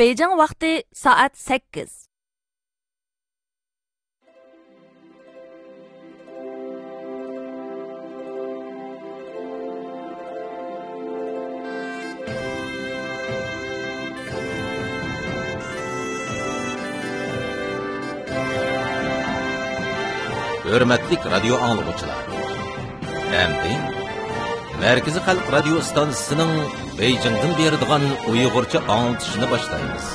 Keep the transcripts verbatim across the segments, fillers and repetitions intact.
بېيجىڭ ۋاقتى سائەت سەككىز. ھۆرمەتلىك رادىيو ئاڭلىغۇچىلار! ئەمدى مەركىزىي خەلق رادىيو ئىستانسىسىنىڭ بېيجىڭدىن بېرىدىغان ئۇيغۇرچە ئاڭلىتىشىنى باشلايمىز.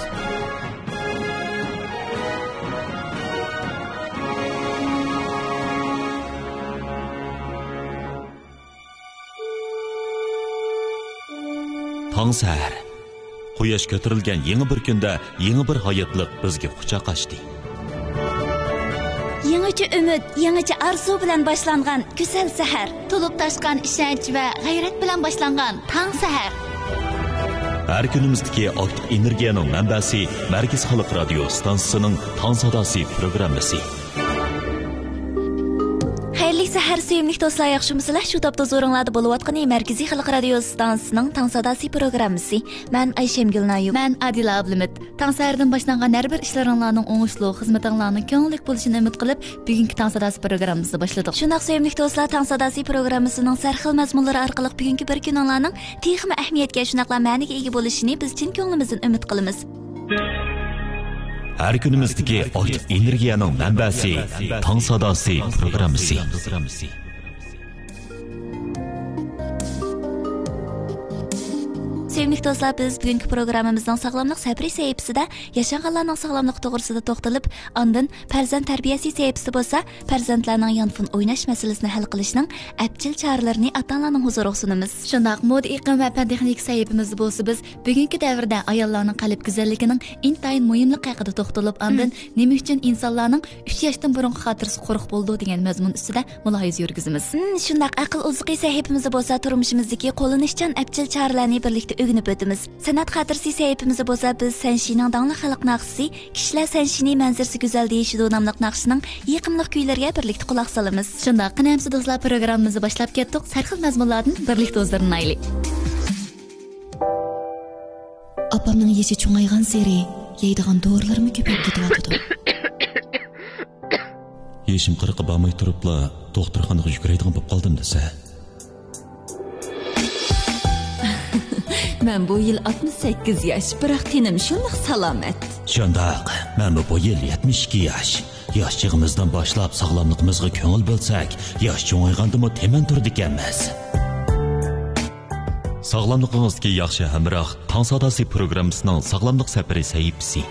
تاڭ سەھەر. قۇياش كۆتۈرۈلگەن يېڭى بىر كۈندە يېڭى بىر ھاياتلىق بىزگە قۇچاق ئاچتى. يېڭىچە ئۈمىد، يېڭىچە ئارزۇ بىلەن باشلانغان گۈزەل سەھەر. تولۇپ تاشقان ئىشەنچ ۋە غەيرەت بىلەن باشلانغان تاڭ سەھەر. ھەر كۈنىمىزدىكى ئاكتىپ ئېنېرگىيەنىڭ مەنبەسى مەركىزىي خەلق رادىيو ئىستانسىسىنىڭ تاڭ ساداسى پروگراممىسى. خەيرلىك سەھەر، سۆيۈملۈك دوستلار، ياخشىمۇسىلەر؟ شۇ تاپتا ھۇزۇرۇڭلاردا بولۇۋاتقىنى مەركىزىي خەلق رادىيو ئىستانسىسىنىڭ تاڭ ساداسى پروگراممىسى. مەن ئايشەمگۈل نايۇم. مەن ئادىلە ئابلىمىت. تاڭ سەھەردىن باشلانغان ھەر بىر ئىشلىرىڭلارنىڭ ئوڭۇشلۇق، خىزمىتىڭلارنىڭ كۆڭۈللۈك بولۇشىنى ئۈمىد قىلىپ، بۈگۈنكى تاڭ ساداسى پروگراممىمىزنى باشلىدۇق. شۇنداق، سۆيۈملۈك دوستلار، تاڭ ساداسى پروگراممىسىنىڭ سەرخىل مەزمۇنلىرى ئارقىلىق بۈگۈنكى بىر كۈنۈڭلارنىڭ تېخىمۇ ئەھمىيەتكە، شۇنداقلا مەنىگە ئىگە بولۇشىنى بىز چىن كۆڭلىمىزدىن ئۈمىد قىلىمىز. ھەر كۈنىمىزدىكى ئاكتىپ ئېنېرگىيەنىڭ مەنبەسى، تاڭ ساداسى پروگراممىسى. سۆيۈملۈك دوستلار، بىز بۈگۈنكى پروگراممىمىزنىڭ ساغلاملىق سەپىرى سەھىپىسىدە ياشانغانلارنىڭ ساغلاملىقى توغرىسىدا توختىلىپ، ئاندىن پەرزەنت تەربىيەسى سەھىپىسىدە بولسا، پەرزەنتلەرنىڭ يانفون ئويناش مەسىلىسىنى ھەل قىلىشنىڭ ئەپچىل چارىلىرىنى ئاتا-ئانىلارنىڭ ھۇزۇرىغا سۇنىمىز. شۇنداق، مودا ئېقىم ۋە پەن تېخنىكا سەھىپىمىزدە بولسا، بىز بۈگۈنكى دەۋردە ئاياللارنىڭ قەلب گۈزەللىكىنىڭ ئىنتايىن مۇھىملىقى ھەققىدە توختىلىپ، ئاندىن نېمە ئۈچۈن ئىنسانلارنىڭ ئۈچ ياشتىن بۇرۇنقى خاتىرىسى قۇرۇق بولىدۇ دېگەن مەزمۇن ئۈستىدە مۇلاھىزە يۈرگۈزىمىز. ھىم، شۇنداق، ئەقىل ئوزۇقى سەھىپىمىزدە بولسا تۇرمۇشىمىزدىكى قوللىنىشچان ئەپچىل چارىلەرنى بىرلىكتە ئۆگىنىپ ئۆتىمىز. سەنئەت خاتىرىسى سەھىپىمىزدە بولسا بىز سەنشىنىڭ داڭلىق خەلق ناخشىسى كىشىلەر سەنشىنى مەنزىرىسى گۈزەل دېيىشىدۇ ناملىق ناخشىنىڭ يېقىملىق كۈيلىرىگە بىرلىكتە قۇلاق سالىمىز. شۇنداق، قېنى ئەمىسە دوستلار، پروگراممىمىزنى باشلاپ كەتتۇق. سەرخىل مەزمۇنلاردىن بىرلىكتە ھۇزۇرلىنايلى. ئاپامنىڭ يېشى چوڭايغانسېرى يەيدىغان دورىلىرىمۇ كۆپەيىپ كېتىۋاتىدۇ. يېشىم قىرىققا بارماي تۇرۇپلا دوختۇرخانىغا يۈگۈرەيدىغان بولۇپ قالدىم دېسە. مەن بۇ يىل ئاتمىش سەككىز ياش، بىراق تېنىم شۇنداق سالامەت. شۇنداق، مەنمۇ بۇ يىل يەتمىش ئىككى ياش. ياش چېغىمىزدىن باشلاپ ساغلاملىقىمىزغا كۆڭۈل بۆلسەك، ياش چوڭايغاندىمۇ تېمەن تۇرىدىكەنمىز. ساغلاملىقىڭىزدىكى ياخشى ھەمراھ، تاڭ ساداسى پروگراممىسىنىڭ ساغلاملىق سەپىرى سەھىپىسى.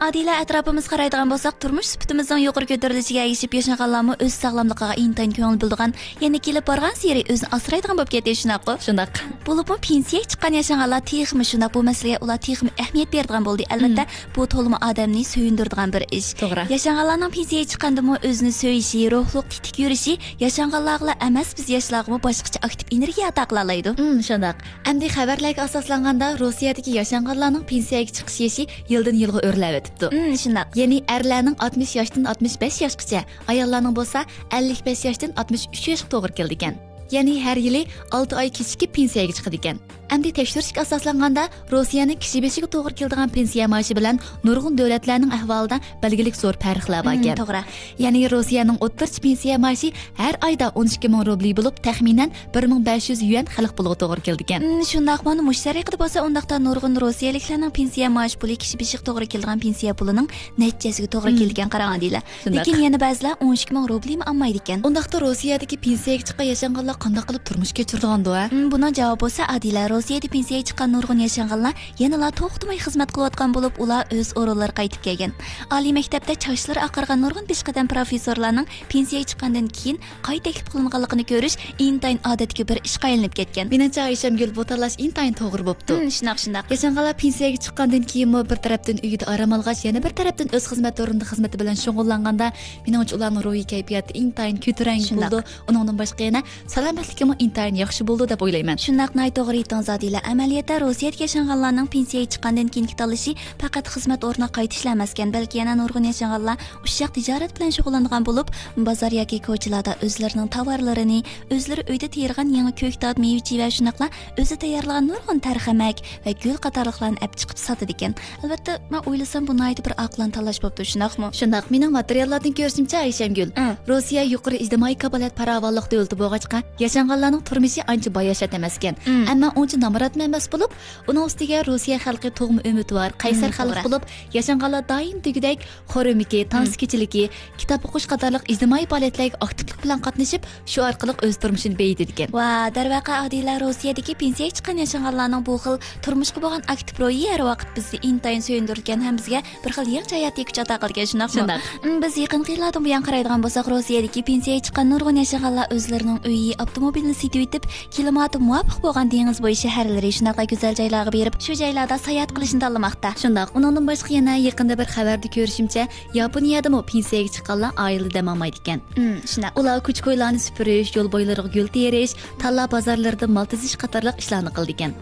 ئادىلە، ئەتراپىمىزغا قارايدىغان بولساق، تۇرمۇش سۈپىتىمىزنىڭ يۇقىرى كۆتۈرۈلۈشىگە ئەگىشىپ، ياشانغانلارمۇ ئۆز ساغلاملىقىغا ئىنتايىن كۆڭۈل بۆلىدىغان، يەنە كېلىپ بارغانسېرى ئۆزىنى ئاسرايدىغان بولۇپ كەتتى، شۇنداققۇ؟ شۇنداق. بولۇپمۇ پېنسىيەگە چىققان ياشانغانلار تېخىمۇ شۇنداق، بۇ مەسىلىگە ئۇلار تېخىمۇ ئەھمىيەت بېرىدىغان بولدى. ئەلۋەتتە، بۇ تولىمۇ ئادەمنى سۆيۈندۈرىدىغان بىر ئىش. توغرا. ياشانغانلارنىڭ پېنسىيەگە چىققاندىمۇ ئۆزىنى سۆيۈشى، روھلۇق تېتىك يۈرۈشى ياشانغانلارغىلا ئەمەس، بىز ياشلارغىمۇ باشقىچە ئاكتىپ ئېنېرگىيە ئاتا قىلالايدۇ. ھىم، شۇنداق. ئەمدى خەۋەرلەرگە ئاساسلانغاندا، روسىيەدىكى ياشانغانلارنىڭ پېنسىيەگە چىقىش يېشى يىلدىن يىلغا ئۆرلەۋېتىپتۇ. ھىم، شۇنداق. يەنى ئەرلەرنىڭ ئاتمىش ياشتىن ئاتمىش بەش ياشقىچە، ئاياللارنىڭ بولسا ئەللىك بەش ياشتىن ئاتمىش ئۈچ ياشقا توغرا كېلىدىكەن. يەنى ھەر يىلى ئالتە ئاي كېچىكىپ پېنسىيەگە چىقىدىكەن. ئەمدى تەكشۈرۈشكە ئاساسلانغاندا، روسىيەنىڭ كىشى بېشىغا توغرا كېلىدىغان پېنسىيە مائاشى بىلەن نۇرغۇن دۆلەتلەرنىڭ ئەھۋالىدا بەلگىلىك زور پەرقلەر باركەن. مم، توغرا. يەنى روسىيەنىڭ ئوتتۇرىچە پېنسىيە مائاشى ھەر ئايدا ئون ئىككى مىڭ روبلى بولۇپ، تەخمىنەن بىر مىڭ بەش يۈز يۈەن خەلق پۇلىغا توغرا كېلىدىكەن. مم، شۇنداق. مانا مۇشۇ تەرىقىدە بولسا، ئۇنداقتا نۇرغۇن روسىيەلىكلەرنىڭ پېنسىيە مائاش پۇلى كىشى بېشىغا توغرا كېلىدىغان پېنسىيە پۇلىنىڭ نەچچە ھەسسىگە توغرا مم. كېلىدىكەن، قاراڭ، ئادىلە. شۇنداق. لېكىن يەنە بەزىلەر ئون ئىككى مىڭ روبلىمۇ ئالمايدىكەن. ئۇنداقتا روسىيەدىكى پېنسىيەگە چىققان ياشانغانلار قانداق قىلىپ تۇرمۇش كەچۈرىدىغاندۇ، ھە؟ مم، بۇنىڭ جاۋابى بولسا، ئادىلە، روسىيەدە پېنسىيەگە چىققان نۇرغۇن ياشانغانلار يەنىلا توختىماي خىزمەت قىلىۋاتقان بولۇپ، ئۇلار ئۆز ئورۇنلىرىغا قايتىپ كەلگەن. ئالىي مەكتەپتە چاچلىرى ئاقارغان نۇرغۇن پېشقەدەم پروفېسسورلارنىڭ پېنسىيەگە چىققاندىن كېيىن قايتا تەكلىپ قىلىنغانلىقىنى كۆرۈش ئىنتايىن ئادەتتىكى بىر ئىشقا ئايلىنىپ كەتكەن. مېنىڭچە، ئايشەمگۈل، بۇ تاللاش ئىنتايىن توغرا بوپتۇ. ھىم، شۇنداق، شۇنداق. ياشانغانلار پېنسىيەگە چىققاندىن كېيىنمۇ بىر تەرەپتىن ئۆيىدە ئارام ئالغاچ، يەنە بىر تەرەپتىن ئۆز خىزمەت ئورنىدا خىزمىتى بىلەن شۇغۇللانغاندا، مېنىڭچە، ئۇلارنىڭ روھىي كەيپىياتى ئىنتايىن كۆتۈرەڭگۈ شۇنداق. بولىدۇ. ئۇنىڭدىن باشقا يەنە سالامەتلىكىمۇ ئىنتايىن ياخشى بولىدۇ دەپ ئويلايمەن. شۇنداق، ناھايىتى توغرا ئېيتتىڭىز. ئادىلە، ئەمەلىيەتتە روسىيەدە ياشانغانلارنىڭ پېنسىيەگە چىققاندىن كېيىنكى تاللىشى پەقەت خىزمەت ئورنىغا قايتىشلا ئەمەسكەن، بەلكى يەنە نۇرغۇن ياشانغانلار ئۇششاق تىجارەت بىلەن شۇغۇللانغان بولۇپ، بازار ياكى كوچىلاردا ئۆزلىرىنىڭ تاۋارلىرىنى، ئۆزلىرى ئۆيدە تېرىغان يېڭى كۆكتات، مېۋە-چېۋە، شۇنداقلا ئۆزى تەييارلىغان نۇرغۇن تەرخەمەك ۋە گۈل قاتارلىقلارنى ئەپ چىقىپ ساتىدىكەن. ئەلۋەتتە، مەن ئويلىسام، بۇ ناھايىتى بىر ئاقىلانە تاللاش بوپتۇ، شۇنداقمۇ؟ شۇنداق، مېنىڭ ماتېرىياللاردىن كۆرۈشۈمچە، ئايشەمگۈل، ئە، روسىيە يۇقىرى ئىجتىمائىي كاپالەت پاراۋانلىق دۆلىتى بولغاچقا، ياشانغانلارنىڭ تۇرمۇشى ئانچە باياشات ئەمەسكەن. ئىم. ئەمما ئۇنچە نامراتمۇ ئەمەس بولۇپ، ئۇنىڭ ئۈستىگە روسىيە خەلقى تۇغما ئۈمىدۋار، قەيسەر ئىم، خەلق توغرا. بولۇپ، ياشانغانلار دائىم دېگۈدەك خور ئۆمىكى، تانسا كېچىلىكى، كىتاب ئوقۇش قاتارلىق ئىجتىمائىي پائالىيەتلەرگە ئاكتىپلىق بىلەن قاتنىشىپ، شۇ ئارقىلىق ئۆز تۇرمۇشىنى بېيىتىدىكەن. ۋا، دەرۋەقە، ئادىلە، روسىيەدىكى پېنسىيەگە چىققان ياشانغانلارنىڭ بۇ خىل تۇرمۇشقا بولغان ئاكتىپ روھى ھەر ۋاقىت بىزنى ئىنتايىن سۆيۈندۈرىدىكەن ھەم بىزگە بىر خىل يېڭىچە ھاياتىي كۈچ ئاتا قىلىدىكەن، شۇنداقمۇ؟ شۇنداق. ئىم، بىز يېقىنقى يىللاردىن بۇيان قارايدىغان بولساق، روسىيەدىكى پېنسىيەگە چىققان نۇرغۇن ياشانغانلار ئۆزلىرىنىڭ ئۆيى، ئاپتوموبىلىنى سېتىۋېتىپ، كىلىماتى مۇۋاپىق بولغان دېڭىز بويى شەھەرلىرى، شۇنداقلا گۈزەل جايلارغا بېرىپ، شۇ جايلاردا ساياھەت قىلىشنى تاللىماقتا. شۇنداق. ئۇنىڭدىن باشقا يەنە يېقىندا بىر خەۋەردە كۆرۈشۈمچە، ياپونىيەدىمۇ پېنسىيەگە چىققانلار ئائىلىدە دەم ئالمايدىكەن. ئىم، شۇنداق. ئۇلار كوچا-كويلارنى سۈپۈرۈش، يول بويلىرىغا گۈل تېرىش، تاللا بازارلىرىدا مال تىزىش قاتارلىق ئىشلارنى قىلىدىكەن.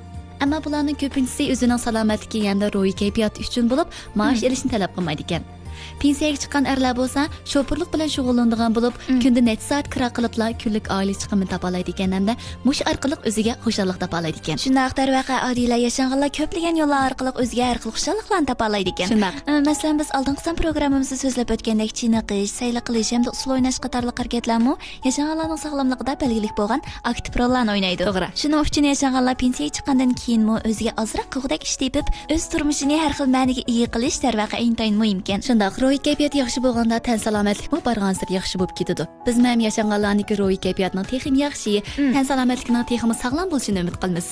ئەمما بۇلارنىڭ كۆپىنچىسى ئۆزىنىڭ سالامەتلىكى ھەمدە روھىي كەيپىياتى ئۈچۈن بولۇپ، مائاش ئېلىشنى تەلەپ قىلمايدىكەن. پېنسىيەگە چىققان ئەرلەر بولسا شوپۇرلۇق بىلەن شۇغۇللىنىدىغان بولۇپ، كۈندە نەچچە سائەت كىرا قىلىپلا كۈنلۈك ئائىلە چىقىمىنى تاپالايدىكەن ھەمدە مۇشۇ ئارقىلىق ئۆزىگە خۇشاللىق تاپالايدىكەن. شۇنداق، دەرۋەقە، ئادىلە، ياشانغانلار كۆپلىگەن يوللار ئارقىلىق ئۆزىگە ھەر خىل خۇشاللىقلارنى تاپالايدىكەن. شۇنداق. ئە، مەسىلەن، بىز ئالدىنقى سان پروگراممىمىزدا سۆزلەپ ئۆتكەندەك، چېنىقىش، سەيلە قىلىش ھەمدە ئۇسسۇل ئويناش قاتارلىق ھەرىكەتلەرمۇ ياشانغانلارنىڭ ساغلاملىقىدا بەلگىلىك بولغان ئاكتىپ روللارنى ئوينايدۇ. توغرا. شۇنىڭ ئۈچۈن ياشانغانلار پېنسىيەگە چىققاندىن كېيىنمۇ ئۆزىگە ئازراق كوغدەك ئىش تېپىپ، ئۆز تۇرمۇشىنى ھەر خىل مەنىگە ئىگە قىلىش دەرۋەقە ئىنتايىن مۇھىمكەن. شۇنداق، روھىي كەيپىيات ياخشى بولغاندا تەن سالامەتلىكمۇ بارغانسېرى ياخشى بولۇپ كېتىدۇ. بىزمۇ ھەم ياشانغانلارنىڭكى روھىي كەيپىياتىنىڭ تېخىمۇ ياخشى، تەن سالامەتلىكىنىڭ تېخىمۇ ساغلام بولۇشىنى ئۈمىد قىلىمىز.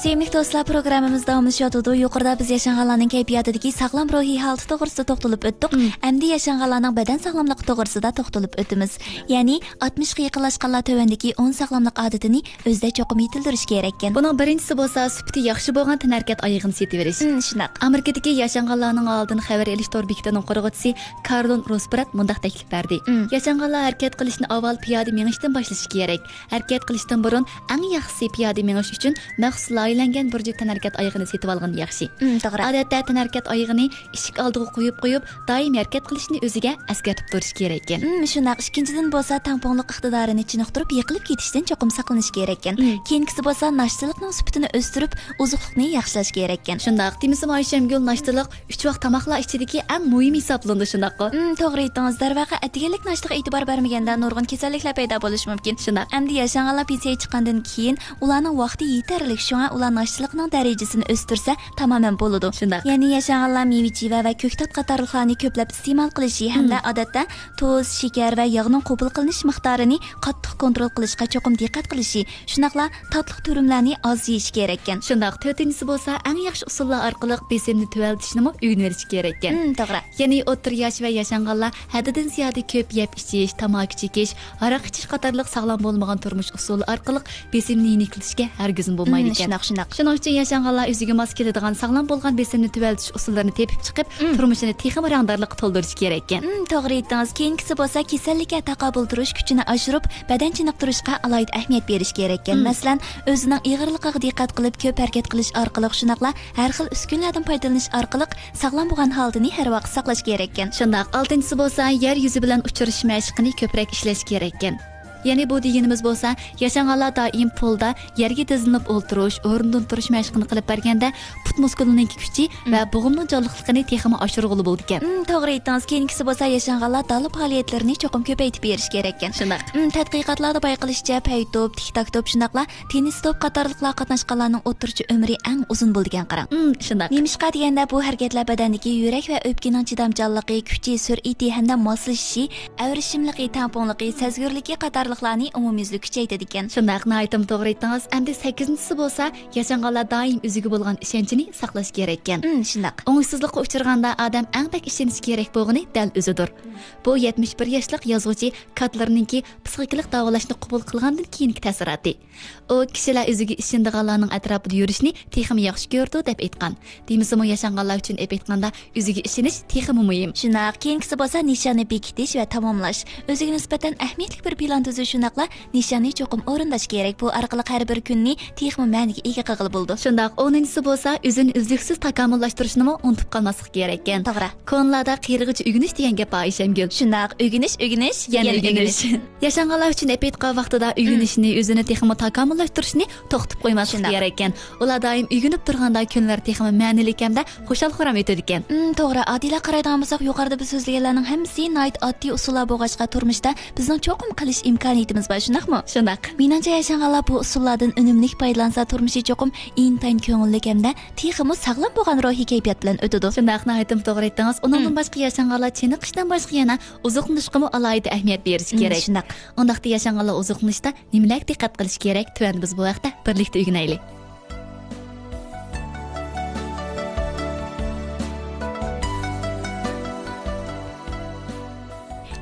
سۆيۈملۈك دوستلار، پروگراممىمىز داۋاملىشىۋاتىدۇ. يۇقىرىدا بىز ياشانغانلارنىڭ كەيپىياتىدىكى ساغلام روھىي ھالىتى توغرىسىدا توختىلىپ ئۆتتۇق. ئەمدى ياشانغانلارنىڭ بەدەن ساغلاملىقى توغرىسىدا توختىلىپ ئۆتىمىز. يەنى ئاتمىشقا يېقىنلاشقانلار تۆۋەندىكى ئون ساغلاملىق ئادىتىنى ئۆزىدە چوقۇم يېتىلدۈرۈشى كېرەككەن. بۇنىڭ بىرىنچىسى بولسا سۈپىتى ياخشى بولغان تەنھەرىكەت ئايىغىنى سېتىۋېلىش. ئىم، شۇنداق. ئامېرىكىدىكى ياشانغانلارنىڭ ھالىدىن خەۋەر ئېلىش تور بېكىتىنىڭ قۇرغۇچىسى كارلون روسبرات مۇنداق تەكلىپ بەردى. ئىم. ياشانغانلار ھەرىكەت قىلىشنى ئاۋۋال پىيادە مېڭىشتىن باشلىشى كېرەك. ھەرىكەت قىلىشتىن بۇرۇن ئەڭ ياخشىسى پىيادە مېڭىش ئۈچۈن مەخسۇس لايىھەلەنگەن بىر جۈپ تەنھەرىكەت ئايىغىنى سېتىۋالغىنى ياخشى. ئىم، توغرا. ئادەتتە تەنھەرىكەت ئايىغىنى ئىشىك ئالدىغا قويۇپ قويۇپ، دائىم ھەرىكەت قىلىشنى ئۆزىگە ئەسكەرتىپ تۇرۇشى كېرەككەن. ئىم، شۇنداق. ئىككىنچىدىن بولسا تەڭپۇڭلۇق ئىقتىدارىنى چېنىقتۇرۇپ، يىقىلىپ كېتىشتىن چوقۇم ساقلىنىش كېرەككەن. ئىم. كېيىنكىسى بولسا ناشتىلىقنىڭ سۈپىتىنى ئۆستۈرۈپ، ئوزۇقلۇقنى ياخشىلاش كېرەككەن. شۇنداق. دېمىسىمۇ ئايشەمگۈل، ناشتىلىق ئۈچ ۋاق تاماقلار ئىچىدىكى ئەڭ مۇھىمى ھېسابلىنىدۇ، شۇنداققۇ؟ ئىم، توغرا ئېيتتىڭىز. دەرۋەقە، ئەتىگەنلىك ناشتىغا ئېتىبار بەرمىگەندە نۇرغۇن كېسەللىكلەر پەيدا بولۇشى مۇمكىن. شۇنداق. ئەمدى ياشانغانلار پېنسىيەگە چىققاندىن كېيىن ئۇلارنىڭ ۋاقتى يېتەرلىك، شۇڭا ئۇلار ناشتىلىقنىڭ دەرىجىسىنى ئۆستۈرسە تامامەن بولىدۇ. شۇنداق. يەنى ياشانغانلار مېۋە-چېۋە ۋە كۆكتات قاتارلىقلارنى كۆپلەپ ئىستېمال قىلىشى ھەمدە ئادەتتە تۇز، شېكەر ۋە ياغنىڭ قوبۇل قىلىنىش مىقدارىنى قاتتىق كونترول قىلىشقا چوقۇم دىققەت قىلىشى، شۇنداقلا تاتلىق تۈرۈملەرنى ئاز يېيىشى كېرەككەن. شۇنداق، تۆتىنچىسى بولسا ئەڭ ياخشى ئۇسۇللار ئارقىلىق بېسىمنى تۆۋەنلىتىشنىمۇ ئۆگىنىۋېلىشى كېرەككەن. ئىم، توغرا. يەنى ئوتتۇرا ياش ۋە ياشانغانلار ھەددىدىن زىيادە كۆپ يەپ ئىچىش، تاماكا چېكىش، ھاراق ئىچىش قاتارلىق ساغلام بولمىغان تۇرمۇش ئۇسۇلى ئارقىلىق بېسىمنى يېنىكلىتىشكە ھەرگىزمۇ بولمايدىكەن. ئىم، شۇنداق، شۇنداق. شۇنىڭ ئۈچۈن ياشانغانلار ئۆزىگە ماس كېلىدىغان ساغلام بولغان بېسىمنى تۆۋەنلىتىش ئۇسۇللىرىنى تېپىپ چىقىپ، تۇرمۇشىنى تېخىمۇ رەڭدارلىققا تولدۇرۇشى كېرەككەن. ئىم، توغرا ئېيتتىڭىز. كېيىنكىسى بولسا كېسەللىككە تاقابىل تۇرۇش كۈچىنى ئاشۇرۇپ، بەدەن چېنىقتۇرۇشقا ئالاھىدە ئەھمىيەت بېرىش كېرەككەن. مەسىلەن، ئۆزىنىڭ ئېغىرلىقىغا دىققەت قىلىپ، كۆپ ھەرىكەت قىلىش ئارقىلىق، شۇنداقلا ھەر خىل ئۈسكۈنىلەردىن پايدىلىنىش ئارقىلىق ساغلام بولغان ھالىتىنى ھەر ۋاقىت ساقلاش كېرەككەن. شۇنداق، ئالتىنچىسى بولسا يەر يۈزى بىلەن ئۇچرىشىش مەشىقىنى كۆپرەك ئىشلەش كېرەككەن. يەنى بۇ دېگىنىمىز بولسا، ياشانغانلار دائىم پولدا يەرگە تىزلىنىپ ئولتۇرۇش، ئورنىدىن تۇرۇش مەشقىنى قىلىپ بەرگەندە، پۇت مۇسكۇلىنىڭكى كۈچى ۋە بوغۇمنىڭ جانلىقلىقىنى تېخىمۇ ئاشۇرغىلى بولىدىكەن. ئىم، توغرا ئېيتتىڭىز. كېيىنكىسى بولسا ياشانغانلار دالا پائالىيەتلىرىنى چوقۇم كۆپەيتىپ بېرىش كېرەككەن. شۇنداق. ئىم، تەتقىقاتلاردا بايقىلىشىچە، پەي توپ، تىك تاك توپ، شۇنداقلا تېننىس توپ قاتارلىقلارغا قاتناشقانلارنىڭ ئوتتۇرىچە ئۆمرى ئەڭ ئۇزۇن بولىدىكەن، قاراڭ. ئىم، شۇنداق. نېمىشقا دېگەندە، بۇ ھەرىكەتلەر بەدەندىكى يۈرەك ۋە ئۆپكىنىڭ چىدامچانلىقى، كۈچى، سۈرئىتى ھەمدە ماسلىشىشى، ئەۋرىشىملىقى، تەڭپۇڭلۇقى، سەزگۈرلۈكى قاتارلىقلارنى ئومۇميۈزلۈك كۈچەيتىدىكەن. شۇنداق، ناھايىتىمۇ توغرا ئېيتتىڭىز. ئەمدى سەككىزىنچىسى بولسا، ياشانغانلار دائىم ئۆزىگە بولغان ئىشەنچىنى ساقلاش كېرەككەن. ئىم، شۇنداق. ئوڭۇشسىزلىققا ئۇچرىغاندا ئادەم ئەڭ بەك ئىشىنىشى كېرەك بولغىنى دەل ئۆزىدۇر. بۇ يەتمىش بىر ياشلىق يازغۇچى كاتلېرنىڭكى پسىخىكىلىق داۋالاشنى قوبۇل قىلغاندىن كېيىنكى تەسىراتى. ئۇ كىشىلەر ئۆزىگە ئىشىنىدىغانلارنىڭ ئەتراپىدا يۈرۈشنى تېخىمۇ ياخشى كۆرىدۇ، دەپ ئېيتقان. دېمىسىمۇ، ياشانغانلار ئۈچۈن ئېلىپ ئېيتقاندا، ئۆزىگە ئىشىنىش تېخىمۇ مۇھىم. شۇنداق، كېيىنكىسى بولسا نىشاننى بېكىتىش ۋە تاماملاش. ئۆزىگە نىسبەتەن ئەھمىيەتلىك بىر پىلان تۈزۈش شۇنداقلا نىشاننى چوقۇم ئورۇنداش كېرەك. بۇ ئارقىلىق ھەر بىر كۈننى تېخىمۇ مەنىگە ئىگە قىلغىلى بولىدۇ. شۇنداق، ئونىنچىسى بولسا ئۆزىنى ئۈزلۈكسىز تاكامۇللاشتۇرۇشنىمۇ ئۇنتۇپ قالماسلىق كېرەككەن. توغرا. كونىلاردا قېرىغىچە ئۆگىنىش دېگەن گەپ بار، ئايشەمگۈل. شۇنداق، ئۆگىنىش، ئۆگىنىش، يەنە يەنە ئۆگىنىش. ئۆگىنىش. ياشانغانلار ئۈچۈن ئېپىتقان ۋاقتىدا ئۆگىنىشنى، ئۆزىنى تېخىمۇ تاكامۇللاشتۇرۇشنى توختىتىپ قويماسلىق شۇنداق. كېرەككەن. ئۇلار دائىم ئۆگىنىپ تۇرغاندا كۈنلەر تېخىمۇ مەنىلىك ھەمدە خۇشال-خۇرام ئۆتىدىكەن. ئىم، توغرا. ئادىلە قارايدىغان بولساق، يۇقىرىدا بىز سۆزلىگەنلەرنىڭ ھەممىسى ناھايىتى ئاددىي ئۇسۇللار بولغاچقا، تۇرمۇشتا بىزنىڭ چوقۇم قىلىش ئىمكانىيىتىمىز بار، شۇنداقمۇ؟ شۇنداق. مېنىڭچە، ياشانغانلار بۇ ئۇسۇللاردىن ئۈنۈملۈك پايدىلانسا، تۇرمۇشى چوقۇم ئىنتايىن كۆڭۈللۈك ھەمدە تېخىمۇ ساغلام بولغان روھىي كەيپىيات بىلەن ئۆتىدۇ. شۇنداق، ناھايىتىمۇ توغرا ئېيتتىڭىز. ئۇنىڭدىن ھىم. باشقا ياشانغانلار چېنىقىشتىن باشقا يەنە ئوزۇقلىنىشقىمۇ ئالاھىدە ئەھمىيەت بېرىشى ھىم، كېرەك. شۇنداق. ئۇنداقتا ياشانغانلار ئوزۇقلىنىشتا نېمىلەرگە دىققەت قىلىشى كېرەك؟ تۆۋەندە بىز بۇ ھەقتە بىرلىكتە ئۆگىنەيلى.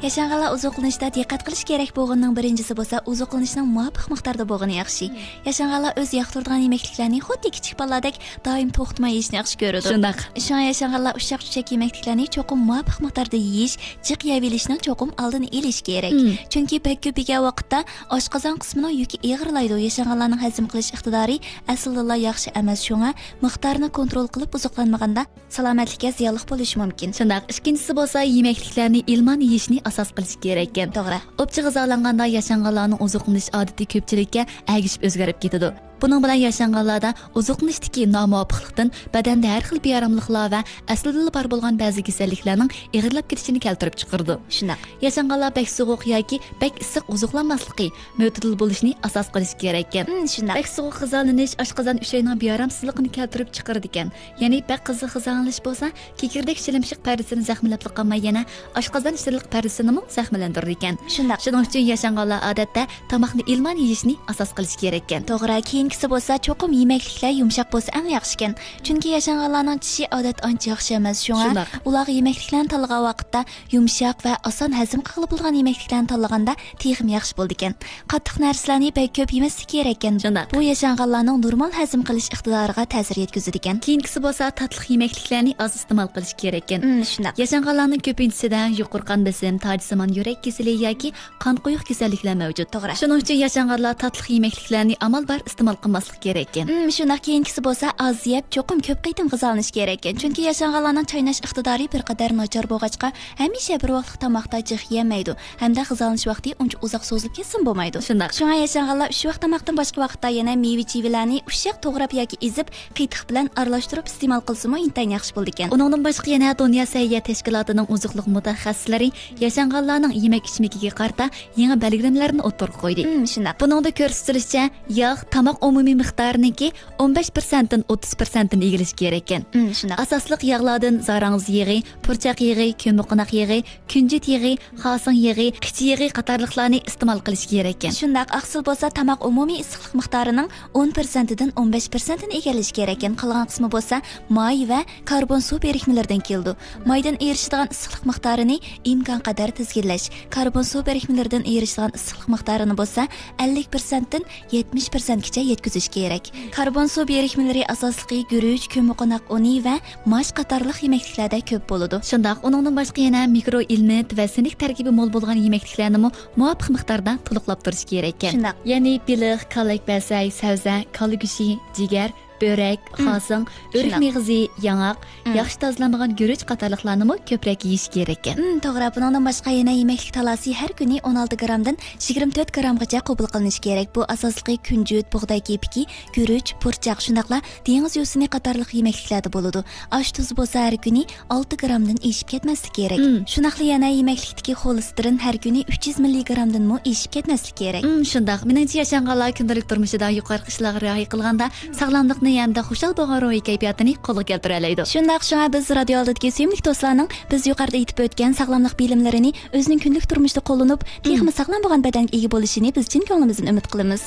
ياشانغانلار ئوزۇقلىنىشتا دىققەت قىلىش كېرەك بولغىنىنىڭ بىرىنچىسى بولسا ئوزۇقلىنىشنىڭ مۇۋاپىق مىقداردا بولغىنى ياخشى. مم. ياشانغانلار ئۆزى ياقتۇرىدىغان يېمەكلىكلەرنى خۇددى كىچىك بالىلاردەك دائىم توختىماي يېيىشنى ياخشى كۆرىدۇ. شۇنداق. شۇڭا ياشانغانلار ئۇششاق-چۈششەك يېمەكلىكلەرنى چوقۇم مۇۋاپىق مىقداردا يېيىش، جىق يەۋېلىشنىڭ چوقۇم ئالدىنى ئېلىش كېرەك. مم. چۈنكى بەك كۆپ يېگەن ۋاقىتتا ئاشقازان قىسمىنىڭ يۈكى ئېغىرلايدۇ. ياشانغانلارنىڭ ھەزىم قىلىش ئىقتىدارى ئەسلىدىنلا ياخشى ئەمەس، شۇڭا مىقدارنى كونترول قىلىپ ئوزۇقلانمىغاندا سالامەتلىككە زىيانلىق بولۇشى مۇمكىن. شۇنداق، ئىككىنچىسى بولسا يېمەكلىكلەرنى ئىلمان يېيىشنى ئاساس قىلىش كېرەككەن. توغرا. ئوپچە غىزالانغاندا ياشانغانلارنىڭ ئوزۇقلىنىش ئادىتى كۆپچىلىككە ئەگىشىپ ئۆزگىرىپ كېتىدۇ. بۇنىڭ بىلەن ياشانغانلاردا ئوزۇقلىنىشتىكى نامۇۋاپىقلىقتىن بەدەندە ھەر خىل بىئاراملىقلار ۋە ئەسلىدىنلا بار بولغان بەزى كېسەللىكلەرنىڭ ئېغىرلاپ كېتىشىنى كەلتۈرۈپ چىقىرىدۇ. شۇنداق. ياشانغانلار بەك سوغۇق ياكى بەك ئىسسىق ئوزۇقلانماسلىقى، مۆتىدىل بولۇشنى ئاساس قىلىش كېرەككەن. ھىم، شۇنداق. بەك سوغۇق غىزالىنىش ئاشقازان ئۈچەينىڭ بىئارامسىزلىقىنى كەلتۈرۈپ چىقىرىدىكەن. يەنى بەك قىزىق غىزالىنىش بولسا، كېكىردەك شىلىمشىق پەردىسىنى زەخىملەپلا قالماي، يەنە ئاشقازان شىلىمشىق پەردىسىنىمۇ زەخىملەندۈرىدىكەن. شۇنداق. شۇنىڭ ئۈچۈن ياشانغانلار ئادەتتە تاماقنى ئىلمان يېيىشنى ئاساس قىلىشى كېرەككەن. توغرا، كېيىنكىسى بولسا چوقۇم يېمەكلىكلەر يۇمشاق بولسا ئەڭ ياخشىكەن. چۈنكى ياشانغانلارنىڭ چىشى ئادەتتە ئانچە ياخشى ئەمەس، شۇڭا شۇنداق. ئۇلارغا يېمەكلىكلەرنى تاللىغان ۋاقىتتا يۇمشاق ۋە ئاسان ھەزىم قىلغىلى بولىدىغان يېمەكلىكلەرنى تاللىغاندا تېخىمۇ ياخشى بولىدىكەن. قاتتىق نەرسىلەرنى بەك كۆپ يېمەسلىك كېرەككەن. شۇنداق. بۇ ياشانغانلارنىڭ نورمال ھەزىم قىلىش ئىقتىدارىغا تەسىر يەتكۈزىدىكەن. كېيىنكىسى بولسا تاتلىق يېمەكلىكلەرنى ئاز ئىستېمال قىلىش كېرەككەن. ئىم، شۇنداق. ياشانغانلارنىڭ كۆپىنچىسىدە يۇقىرى قان بېسىم، تاجسىمان يۈرەك كېسىلى ياكى قان قويۇق كېسەللىكلەر مەۋجۇت. توغرا. شۇنىڭ ئۈچۈن ياشانغانلار تاتلىق يېمەكلىكلەرنى ئامال بار ئىستېمال قىلماسلىق كېرەككەن. ئىم، شۇنداق. كېيىنكىسى بولسا ئاز يەپ، چوقۇم كۆپ قېتىم غىزالىنىش كېرەككەن. چۈنكى ياشانغانلارنىڭ چايناش ئىقتىدارى بىر قەدەر ناچار بولغاچقا، ھەمىشە بىر ۋاقىتلىق تاماقتا جىق يېيەلمەيدۇ ھەمدە غىزالىنىش ۋاقتى ئۇنچە ئۇزاق سوزۇلۇپ كەتسىمۇ بولمايدۇ. شۇنداق. شۇڭا ياشانغانلار ئۈچ ۋاق تاماقتىن باشقا ۋاقىتتا يەنە مېۋە-چىۋىلەرنى ئۇششاق توغراپ ياكى ئېزىپ، قېتىق بىلەن ئارىلاشتۇرۇپ ئىستېمال قىلسىمۇ ئىنتايىن ياخشى بولىدىكەن. ئۇنىڭدىن باشقا يەنە دۇنيا سەھىيە تەشكىلاتىنىڭ ئوزۇقلۇق مۇتەخەسسىسلىرى ياشانغانلارنىڭ يېمەك-ئىچمىكىگە قارىتا يېڭى بەلگىلىمىلەرنى ئوتتۇرىغا قويدى. ئىم، شۇنداق. بۇنىڭدا كۆرسىتىلىشىچە، ياغ تاماق ئومۇمىي مىقدارىنىڭكى ئون بەش پىرسەنتتىن ئوتتۇز پىرسەنتتىن ئىگىلىشى كېرەككەن. ئىم، شۇنداق. ئاساسلىق ياغلاردىن زاراڭزا يېغى، پۇرچاق يېغى، كۆممىقوناق يېغى، كۈنجۈت يېغى، خاسىڭ يېغى، قىچا يېغى قاتارلىقلارنى ئىستېمال قىلىش كېرەككەن. شۇنداق، ئاقسىل بولسا تاماق ئومۇمىي ئىسسىقلىق مىقدارىنىڭ ئون پىرسەنتىدىن ئون بەش پىرسەنتىنى ئىگىلىشى كېرەككەن. قالغان قىسمى بولسا ماي ۋە كاربون سۇ بىرىكمىلىرىدىن كېلىدۇ. مايدىن ئېرىشىدىغان ئىسسىقلىق مىقدارىنى ئىمكان قەدەر تىزگىنلەش، كاربون سۇ بىرىكمىلىرىدىن ئېرىشىدىغان ئىسسىقلىق مىقدارىنى بولسا ئەللىك پىرسەنتتىن يەتمىش پىرسەنتكىچە يەتكۈزۈش كېرەك. كاربون سۇ بىرىكمىلىرى ئاساسلىقى گۈرۈچ، كۆممىقوناق ئۇنى ۋە ماش قاتارلىق يېمەكلىكلەردە كۆپ بولىدۇ. شۇنداق، ئۇنىڭدىن باشقا يەنە مىكرو ئېلېمېنت ۋە سىنك تەركىبى مول بولغان يېمەكلىكلەرنىمۇ مۇۋاپىق مىقداردا تولۇقلاپ تۇرۇش كېرەككەن. شۇنداق. يەنى بېلىق، كاللەك بەسەي، سەۋزە، كالا گۆشى، جىگەر، بۆرەك، مم. خاسىڭ، ئۆرۈك شۇنداق. مېغىزى، ياڭاق، مم. ياخشى تازىلانمىغان گۈرۈچ قاتارلىقلارنىمۇ كۆپرەك يېيىش كېرەككەن. مم، توغرا. بۇنىڭدىن باشقا يەنە يېمەكلىك تالاسى ھەر كۈنى ئون ئالتە گرامدىن يىگىرمە تۆت گرامغىچە قوبۇل قىلىنىشى كېرەك. بۇ ئاساسلىقى كۈنجۈت، بۇغداي كېپىكى، گۈرۈچ، پۇرچاق، شۇنداقلا دېڭىز يۈسۈنى قاتارلىق يېمەكلىكلەردە بولىدۇ. ئاش تۇزى بولسا ھەر كۈنى ئالتە گرامدىن ئېشىپ كەتمەسلىك كېرەك. مم. شۇنداقلا يەنە يېمەكلىكتىكى خولېستېرىن ھەر كۈنى ئۈچ يۈز مىللىگرامدىنمۇ ئېشىپ كەتمەسلىك كېرەك. مم، شۇنداق. مېنىڭچە ياشانغانلار كۈندىلىك تۇرمۇشىدا يۇقىرىقى ئىشلارغا رىئايە قىلغاندا ساغلاملىقنى ھەمدە خۇشال بولغان روھىي كەيپىياتىنى قولغا كەلتۈرەلەيدۇ. شۇنداق، شۇڭا بىز رادىيو ئالدىدىكى سۆيۈملۈك دوستلارنىڭ بىز يۇقىرىدا ئېيتىپ ئۆتكەن ساغلاملىق بىلىملىرىنى ئۆزىنىڭ كۈندىلىك تۇرمۇشىدا قوللىنىپ، تېخىمۇ مم. ساغلام بولغان بەدەنگە ئىگە بولۇشىنى بىز چىن كۆڭلىمىزدىن ئۈمىد قىلىمىز.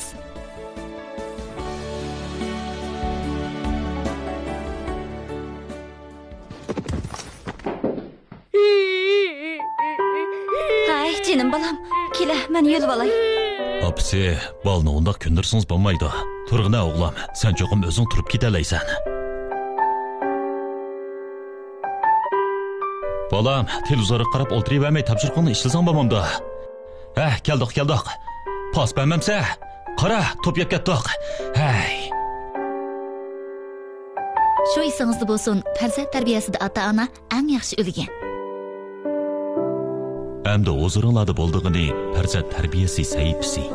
ھەي، جېنىم بالام، كېلە، مەن يۆلىۋالاي. ئاپىسى، بالىنى ئۇنداق كۆندۈرسىڭىز بولمايدۇ. تۇرغىنە ئوغلۇم، سەن چوقۇم ئۆزۈڭ تۇرۇپ كېتەلەيسەن. بالام، تېلېۋىزورغا قاراپ ئولتۇرۇۋەرمەي تاپشۇرۇقۇڭنى ئىشلىسەڭ بولمامدۇ؟ ھە، كەلدۇق، كەلدۇق. پاس بەرمەمسە؟ قارا، توپ يەپ كەتتۇق. ھەي. شۇ ئېسىڭىزدە بولسۇن، پەرزەنت تەربىيەسىدە ئاتا-ئانا ئەڭ ياخشى ئۈلگە. ئەمدى ھۇزۇرۇڭلاردا بولىدىغىنى پەرزەنت تەربىيەسى سەھىپىسى.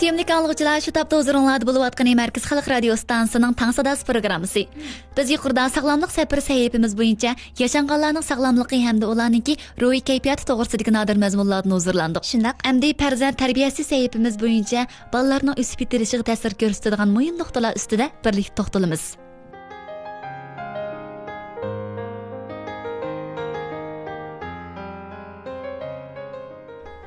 سۆيۈملۈك ئاڭلىغۇچىلار، شۇ تاپتا ھۇزۇرۇڭلاردا بولۇۋاتقىنى مەركىزىي خەلق رادىيو ئىستانسىسىنىڭ تاڭ ساداسى پروگراممىسى. بىز يۇقىرىدا ساغلاملىق سەپىرى سەھىپىمىز بويىچە ياشانغانلارنىڭ ساغلاملىقى ھەمدە ئۇلارنىڭكى روھىي كەيپىياتى توغرىسىدىكى نادىر مەزمۇنلاردىن ھۇزۇرلاندۇق. شۇنداق. ئەمدى پەرزەنت تەربىيەسى سەھىپىمىز بويىچە بالىلارنىڭ ئۆسۈپ يېتىلىشىغا تەسىر كۆرسىتىدىغان مۇھىم نۇقتىلار ئۈستىدە بىرلىكتە توختىلىمىز.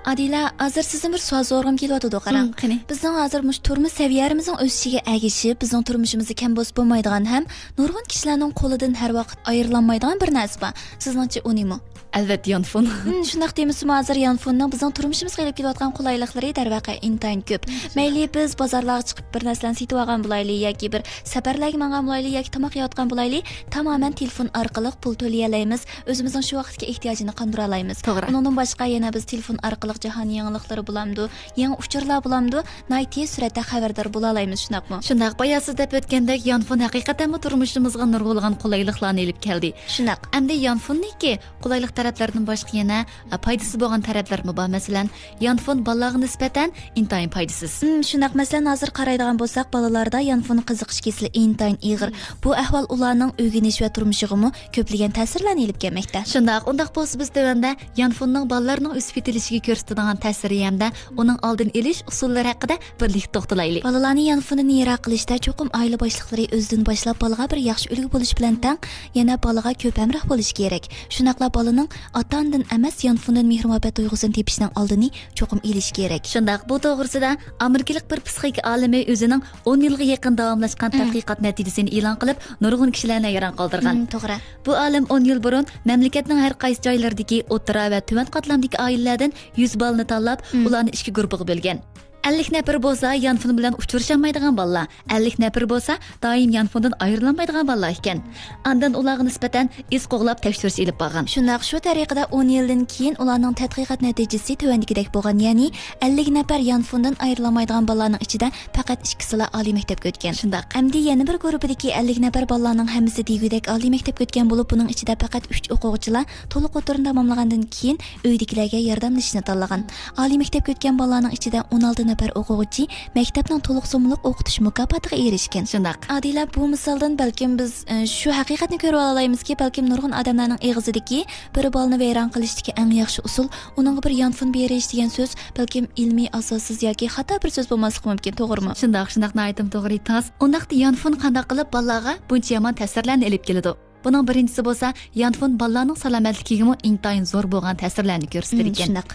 ئادىلە، ھازىر سىزدىن بىر سوئال سورىغۇم كېلىۋاتىدۇ، قاراڭ. ھىم، قېنى؟ بىزنىڭ ھازىر مۇشۇ تۇرمۇش سەۋىيەلىرىمىزنىڭ ئۆسۈشىگە ئەگىشىپ، بىزنىڭ تۇرمۇشىمىزدا كەم بولسا بولمايدىغان ھەم نۇرغۇن كىشىلەرنىڭ قولىدىن ھەر ۋاقىت ئايرىلالمايدىغان بىر نەرسە بار. سىزنىڭچە ئۇ نېمە؟ ئەلۋەتتە، يانفون. ھىم، شۇنداق دېمىسىمۇ، ھازىر يانفوننىڭ بىزنىڭ تۇرمۇشىمىزغا ئېلىپ كېلىۋاتقان قولايلىقلىرى دەرۋەقە ئىنتايىن كۆپ. مەيلى بىز بازارلارغا چىقىپ بىر نەرسىلەرنى سېتىۋالغان بولايلى ياكى بىر سەپەرلەرگە ماڭغان بولايلى ياكى تاماق يەۋاتقان بولايلى، تامامەن تېلېفون ئارقىلىق پۇل تۆلىيەلەيمىز، ئۆزىمىزنىڭ شۇ ۋاقىتتىكى ئېھتىياجىنى قاندۇرالايمىز. توغرا. ئۇنىڭدىن باشقا يەنە بىز تېلېفون ئارقىلىق جاھان يېڭىلىقلىرى بولامدۇ، يېڭى ئۇچۇرلار بولامدۇ، ناھايىتى تېز سۈرئەتتە خەۋەردار بولالايمىز، شۇنداقمۇ؟ شۇنداق، بايا سىز دەپ ئۆتكەندەك، يانفون ھەقىقەتەنمۇ تۇرمۇشىمىزغا نۇرغۇنلىغان قولايلىقلارنى ئېلىپ كەلدى. شۇنداق. ئەمدى يانفوننىڭكى قولايلىق تەرەپلىرىدىن باشقا يەنە، ئە، پايدىسى بولغان تەرەپلىرىمۇ بار. مەسىلەن، يانفون بالىلارغا نىسبەتەن ئىنتايىن پايدىسىز. ھىم، شۇنداق. مەسىلەن، ھازىر قارايدىغان بولساق، بالىلاردا يانفون قىزىقىش كېسىلى ئىنتايىن ئېغىر. بۇ ئەھۋال ئۇلارنىڭ ئۆگىنىش ۋە تۇرمۇشىغىمۇ كۆپلىگەن تەسىرلەرنى ئېلىپ كەلمەكتە. شۇنداق، ئۇنداق بولسا بىز تۆۋەندە يانفوننىڭ بالىلارنىڭ ئۆسۈپ يېتىلىشىگە كۆرسىتىدىغان تەسىرى ھەمدە ئۇنىڭ ئالدىنى ئېلىش ئۇسۇللىرى ھەققىدە بىرلىكتە توختىلايلى. بالىلارنى يانفوندىن يىراق قىلىشتا چوقۇم ئائىلە باشلىقلىرى ئۆزىدىن باشلاپ بالىغا بىر ياخشى ئۈلگە بولۇش بىلەن تەڭ، يەنە بالىغا كۆپ ھەمراھ بولۇشى كېرەك. شۇنداقلا بالىنىڭ ئاتا-ئانىدىن ئەمەس، يانفوندىن مېھىر-مۇھەببەت تۇيغۇسىنى تېپىشنىڭ ئالدىنى چوقۇم ئېلىش كېرەك. شۇنداق، بۇ توغرىسىدا ئامېرىكىلىق بىر پسىخىكا ئالىمى ئۆزىنىڭ ئون يىلغا يېقىن داۋاملاشقان مم. تەتقىقات نەتىجىسىنى ئېلان قىلىپ، نۇرغۇن كىشىلەرنى ھەيران قالدۇرغان. مم، توغرا. بۇ ئالىم ئون يىل بۇرۇن مەملىكەتنىڭ ھەر قايسى جايلىرىدىكى ئوتتۇرا ۋە تۆۋەن قاتلامدىكى ئائىلىلەردىن يۈز بالىنى تاللاپ، مم. ئۇلارنى ئىككى گۇرۇپپىغا بۆلگەن. ئەللىك نەپىرى بولسا يانفون بىلەن ئۇچرىشالمايدىغان بالىلار، ئەللىك نەپىرى بولسا دائىم يانفوندىن ئايرىلالمايدىغان بالىلار ئىكەن. ئاندىن ئۇلارغا نىسبەتەن ئىز قوغلاپ تەكشۈرۈش ئېلىپ بارغان. شۇنداق، شۇ تەرىقىدە ئون يىلدىن كېيىن ئۇلارنىڭ تەتقىقات نەتىجىسى تۆۋەندىكىدەك بولغان، يەنى ئەللىك نەپەر يانفوندىن ئايرىلالمايدىغان بالىلارنىڭ ئىچىدە پەقەت ئىككىسىلا ئالىي مەكتەپكە ئۆتكەن. شۇنداق. ئەمدى يەنە بىر گۇرۇپپىدىكى ئەللىك نەپەر بالىلارنىڭ ھەممىسى دېگۈدەك ئالىي مەكتەپكە ئۆتكەن بولۇپ، بۇنىڭ ئىچىدە پەقەت ئۈچ ئوقۇغۇچىلا تولۇق ئوتتۇرىنى تاماملىغاندىن كېيىن ئۆيدىكىلەرگە ياردەملىشىشنى تاللىغان. ئالىي مەكتەپكە ئۆتكەن بالىلارنىڭ ئىچىدە ئون ئالتە نەپەر ئوقۇغۇچى مەكتەپنىڭ تولۇق سوممىلىق ئوقۇتۇش مۇكاپاتىغا ئېرىشكەن. شۇنداق. ئادىلە، بۇ مىسالدىن بەلكىم بىز، ئە، شۇ ھەقىقەتنى كۆرۈۋالالايمىزكى، بەلكىم نۇرغۇن ئادەملەرنىڭ ئېغىزىدىكى بىر بالىنى ۋەيران قىلىشتىكى ئەڭ ياخشى ئۇسۇل ئۇنىڭغا بىر يانفون بېرىش دېگەن سۆز بەلكىم ئىلمىي ئاساسسىز ياكى خاتا بىر سۆز بولماسلىقى مۇمكىن، توغرىمۇ؟ شۇنداق، شۇنداق، ناھايىتىمۇ توغرا ئېيتتىڭىز. ئۇنداقتا يانفون قانداق قىلىپ بالىلارغا بۇنچە يامان تەسىرلەرنى ئېلىپ كېلىدۇ؟ بۇنىڭ بىرىنچىسى بولسا، يانفون بالىلارنىڭ سالامەتلىكىگىمۇ ئىنتايىن زور بولغان تەسىرلەرنى كۆرسىتىدىكەن. مم، شۇنداق.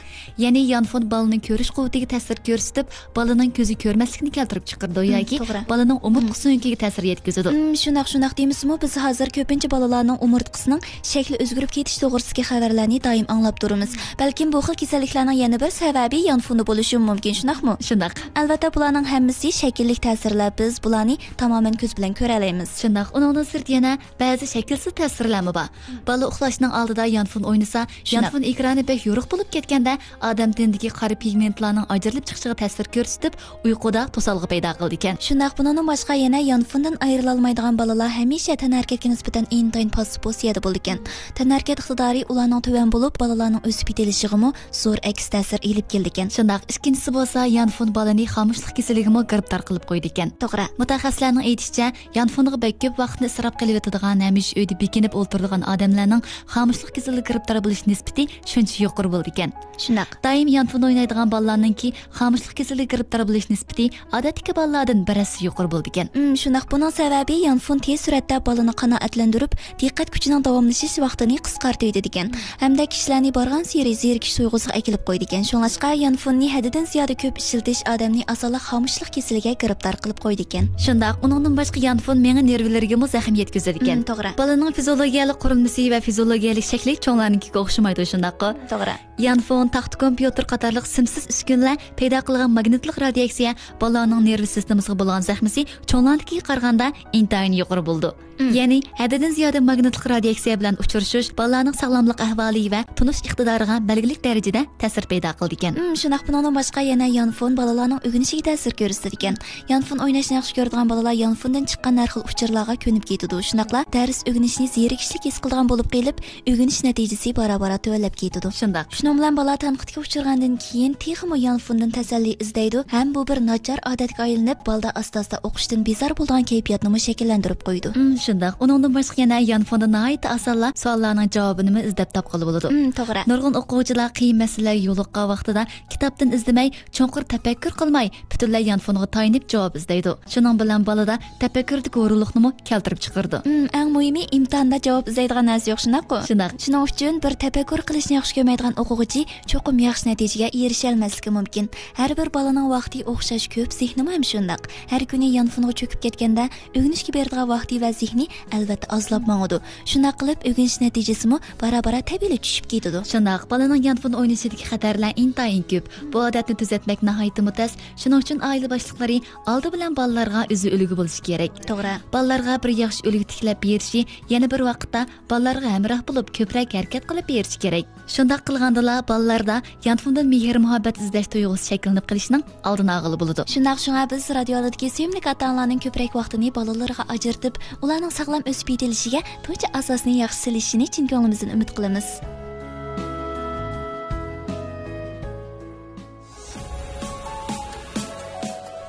يەنى يانفون بالىنىڭ كۆرۈش قۇۋۋىتىگە تەسىر كۆرسىتىپ، بالىنىڭ كۆزى كۆرمەسلىكىنى كەلتۈرۈپ چىقىرىدۇ مم، ياكى توغرا. بالىنىڭ ئومۇرتقا سۆڭىكىگە تەسىر يەتكۈزىدۇ. مم، شۇنداق، شۇنداق دېمىسىمۇ، بىز ھازىر كۆپىنچە بالىلارنىڭ ئومۇرتقىسىنىڭ شەكلى ئۆزگىرىپ كېتىش توغرىسىدىكى خەۋەرلەرنى دائىم ئاڭلاپ تۇرىمىز. بەلكىم بۇ خىل كېسەللىكلەرنىڭ يەنە بىر سەۋەبى يانفوندا بولۇشىمۇ مۇمكىن، شۇنداقمۇ؟ شۇنداق. ئەلۋەتتە، بۇلارنىڭ ھەممىسى شەكىللىك تەسىرلەر، بىز بۇلارنى تامامەن كۆز بىلەن كۆرەلەيمىز. شۇنداق. ئۇنىڭدىن سىرت يەنە بەزى شەكىلسىز تەسىرلەرمۇ بار. بالا ئۇخلاشنىڭ ئالدىدا يانفون ئوينىسا، شۇنداق. يانفون ئېكرانى بەك يورۇق بولۇپ كەتكەندە، ئادەم تېنىدىكى قارا پىگمېنتلارنىڭ ئاجرىلىپ چىقىشىغا تەسىر كۆرسىتىپ، ئۇيقۇدا توسالغۇ پەيدا قىلىدىكەن. شۇنداق، بۇنىڭدىن باشقا يەنە يانفوندىن ئايرىلالمايدىغان بالىلار ھەمىشە تەنھەرىكەتكە نىسبەتەن ئىنتايىن پاسسىپ پوزىتسىيەدە بولىدىكەن. تەنھەرىكەت ئىقتىدارى ئۇلارنىڭ تۆۋەن بولۇپ، بالىلارنىڭ ئۆسۈپ يېتىلىشىغىمۇ زور ئەكس تەسىر ئېلىپ كېلىدىكەن. شۇنداق، ئىككىنچىسى بولسا يانفون بالىنى خامۇشلۇق كېسىلىگىمۇ گىرىپتار قىلىپ قويىدىكەن. توغرا. مۇتەخەسسىسلەرنىڭ ئېيتىشىچە، يانفونغا بەك كۆپ ۋاقىتنى ئىسراپ قىلىۋېتىدىغان، ھەمىشە ئۆيدە بېكىنىپ ئولتۇرىدىغان ئادەملەرنىڭ خامۇشلۇق كېسىلىگە گىرىپتار بولۇش نىسبىتى شۇنچە يۇقىرى بولىدىكەن. شۇنداق. دائىم يانفون ئوينايدىغان بالىلارنىڭكى خامۇشلۇق كېسىلىگە گىرىپتار بولۇش نىسبىتى ئادەتتىكى بالىلاردىن بىر ھەسسە يۇقىرى بولىدىكەن. ئىم، شۇنداق. بۇنىڭ سەۋەبى يانفون تېز سۈرئەتتە بالىنى قانائەتلەندۈرۈپ، دىققەت كۈچىنىڭ داۋاملىشىش ۋاقتىنى قىسقارتىۋېتىدىكەن. ھەمدە كىشىلەرنى بارغانسېرى زېرىكىش تۇيغۇسىغا ئەكېلىپ قويىدىكەن. شۇڭلاشقا يانفوننى ھەددىدىن زىيادە كۆپ ئىشلىتىش ئادەمنى ئاسانلا خامۇشلۇق كېسىلىگە گىرىپتار قىلىپ قويىدىكەن. شۇنداق. ئۇنىڭدىن باشقا يانفون مېڭە نېرۋىلىرىگىمۇ زەخىم يەتكۈزىدىكەن. ئىم، توغرا. بالىنىڭ ئۇنىڭ فىزىئولوگىيەلىك قۇرۇلمىسى ۋە فىزىئولوگىيەلىك شەكلى چوڭلارنىڭكىگە ئوخشىمايدۇ، شۇنداققۇ؟ توغرا. يانفون، تاختا كومپيۇتېر قاتارلىق سىمسىز ئۈسكۈنىلەر پەيدا قىلغان ماگنىتلىق رادىياتسىيە بالىلارنىڭ نېرۋا سىستېمىسىغا بولغان زەخمىسى چوڭلاردىكىگە قارىغاندا ئىنتايىن يۇقىرى بولىدۇ. مم. يەنى ھەددىدىن زىيادە ماگنىتلىق رادىياتسىيە بىلەن ئۇچرىشىش بالىلارنىڭ ساغلاملىق ئەھۋالى ۋە تونۇش ئىقتىدارىغا بەلگىلىك دەرىجىدە تەسىر پەيدا قىلىدىكەن. مم، شۇنداق، بۇنىڭدىن باشقا يەنە يانفون بالىلارنىڭ ئۆگىنىشىگە تەسىر كۆرسىتىدىكەن. يانفون ئويناشنى ياخشى كۆرىدىغان بالىلار يانفوندىن چىققان ھەر خىل ئۇچۇرلارغا كۆنۈپ كېتىدۇ. شۇنداقلا دەرس ئۆگىنىشنى زېرىكىشلىك ھېس قىلىدىغان بولۇپ قېلىپ، ئۆگىنىش نەتىجىسى بارا-بارا تۆۋەنلەپ كېتىدۇ. شۇنداق. شۇنىڭ بىلەن بالا تەنقىدكە ئۇچرىغاندىن كېيىن تېخىمۇ يانفوندىن تەسەللى ئىزدەيدۇ ھەم بۇ بىر ناچار ئادەتكە ئايلىنىپ، بالىدا ئاستا-ئاستا ئوقۇشتىن بىزار بولىدىغان كەيپىياتنىمۇ شەكىللەندۈرۈپ قويىدۇ. ئۇم، شۇنداق. ئۇنىڭدىن باشقا يەنە يانفوندا ناھايىتى ئاسانلا سوئاللارنىڭ جاۋابىنىمۇ ئىزدەپ تاپقىلى بولىدۇ. ئۇم، توغرا. نۇرغۇن ئوقۇغۇچىلار قىيىن مەسىلىلەرگە يولۇققان ۋاقتىدا كىتابتىن ئىزدىمەي، چوڭقۇر تەپەككۇر قىلماي، پۈتۈنلەي يانفونغا تايىنىپ جاۋاب ئىزدەيدۇ. شۇنىڭ بىلەن بالىدا تەپەككۇردىكى ھۇرۇنلۇقنىمۇ كەلتۈرۈپ چىقىرىدۇ. ئۇم، ئەڭ مۇھىمى ئىمتىھاندا جاۋاب ئىزدەيدىغان نەرسە يوق، شۇنداققۇ؟ شۇنداق. شۇنىڭ ئۈچۈن بىر تەپەككۇر قىلىشنى ياخشى كۆرمەيدىغان ئوقۇغۇچى چوقۇم ياخشى نەتىجىگە ئېرىشەلمەسلىكى مۇمكىن. ھەر بىر بالىنىڭ ۋاقتى ئوخشاش كۆپ، زېھنىمۇ ھەم شۇنداق. ھەر كۈنى يانفونغا چۆكۈپ كەتكەندە، ئۆگىنىشكە بېرىدىغان ۋاقتى ۋە زېھنى ئەلۋەتتە ئازلاپ ماڭىدۇ. شۇنداق قىلىپ، ئۆگىنىش نەتىجىسىمۇ بارا-بارا تەبىئىيلا چۈشۈپ كېتىدۇ. شۇنداق، بالىنىڭ يانفون ئوينىشىدىكى خەتەرلەر ئىنتايىن كۆپ. بۇ ئادەتنى تۈزەتمەك ناھايىتىمۇ تەس. شۇنىڭ ئۈچۈن ئائىلە باشلىقلىرى ئالدى بىلەن بالىلارغا ئۆزى ئۈلگە بولۇشى كېرەك. توغرا. بالىلارغا بىر ياخشى ئۈلگە تىكلەپ بېرىشى يەنە بىر ۋاقىتتا بالىلارغا ھەمراھ بولۇپ، كۆپرەك ھەرىكەت قىلىپ بېرىشى كېرەك. شۇنداق قىلغاندىلا، بالىلاردا يانفوندىن مېھىر-مۇھەببەت ئىزدەش تۇيغۇسى شەكىللىنىپ قېلىشنىڭ ئالدىنى ئالغىلى بولىدۇ. شۇنداق، شۇڭا بىز رادىيو ئالدىدىكى سۆيۈملۈك ئاتا-ئانىلارنىڭ كۆپرەك ۋاقتىنى بالىلىرىغا ئاجرىتىپ، ئۇلارنىڭ ساغلام ئۆسۈپ يېتىلىشىگە تۇنجى ئاساسنى ياخشى سېلىشىنى چىن كۆڭلىمىزدىن ئۈمىد قىلىمىز.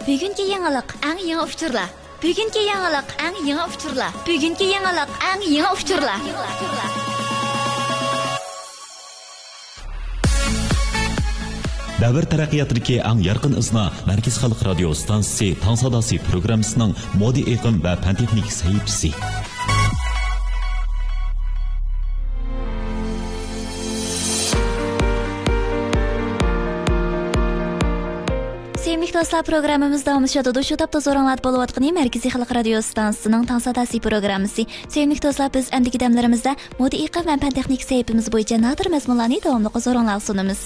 بۈگۈنكى يېڭىلىق، ئەڭ يېڭى ئۇچۇرلار. بۈگۈنكى يېڭىلىق، ئەڭ يېڭى ئۇچۇرلار. بۈگۈنكى يېڭىلىق، ئەڭ يېڭى ئۇچۇرلار. دەۋر تەرەققىياتىدىكى ئەڭ يارقىن ئىزنا، مەركىزىي خەلق رادىيو ئىستانسىسى تاڭ ساداسى پروگراممىسىنىڭ مودا ئېقىم ۋە پەن تېخنىكا سەھىپىسى. سۆيۈملۈك دوستلار، پروگراممىمىز داۋاملىشىۋاتىدۇ. شۇ تاپتا ھۇزۇرۇڭلاردا بولۇۋاتقىنى مەركىزىي خەلق رادىيو ئىستانسىسىنىڭ تاڭ ساداسى پروگراممىسى. سۆيۈملۈك دوستلار، بىز ئەمدىكى دەملىرىمىزدە مودا ئېقىم ۋە پەن تېخنىكا سەھىپىمىز بويىچە نادىر مەزمۇنلارنى داۋاملىق ھۇزۇرۇڭلارغا سۇنىمىز.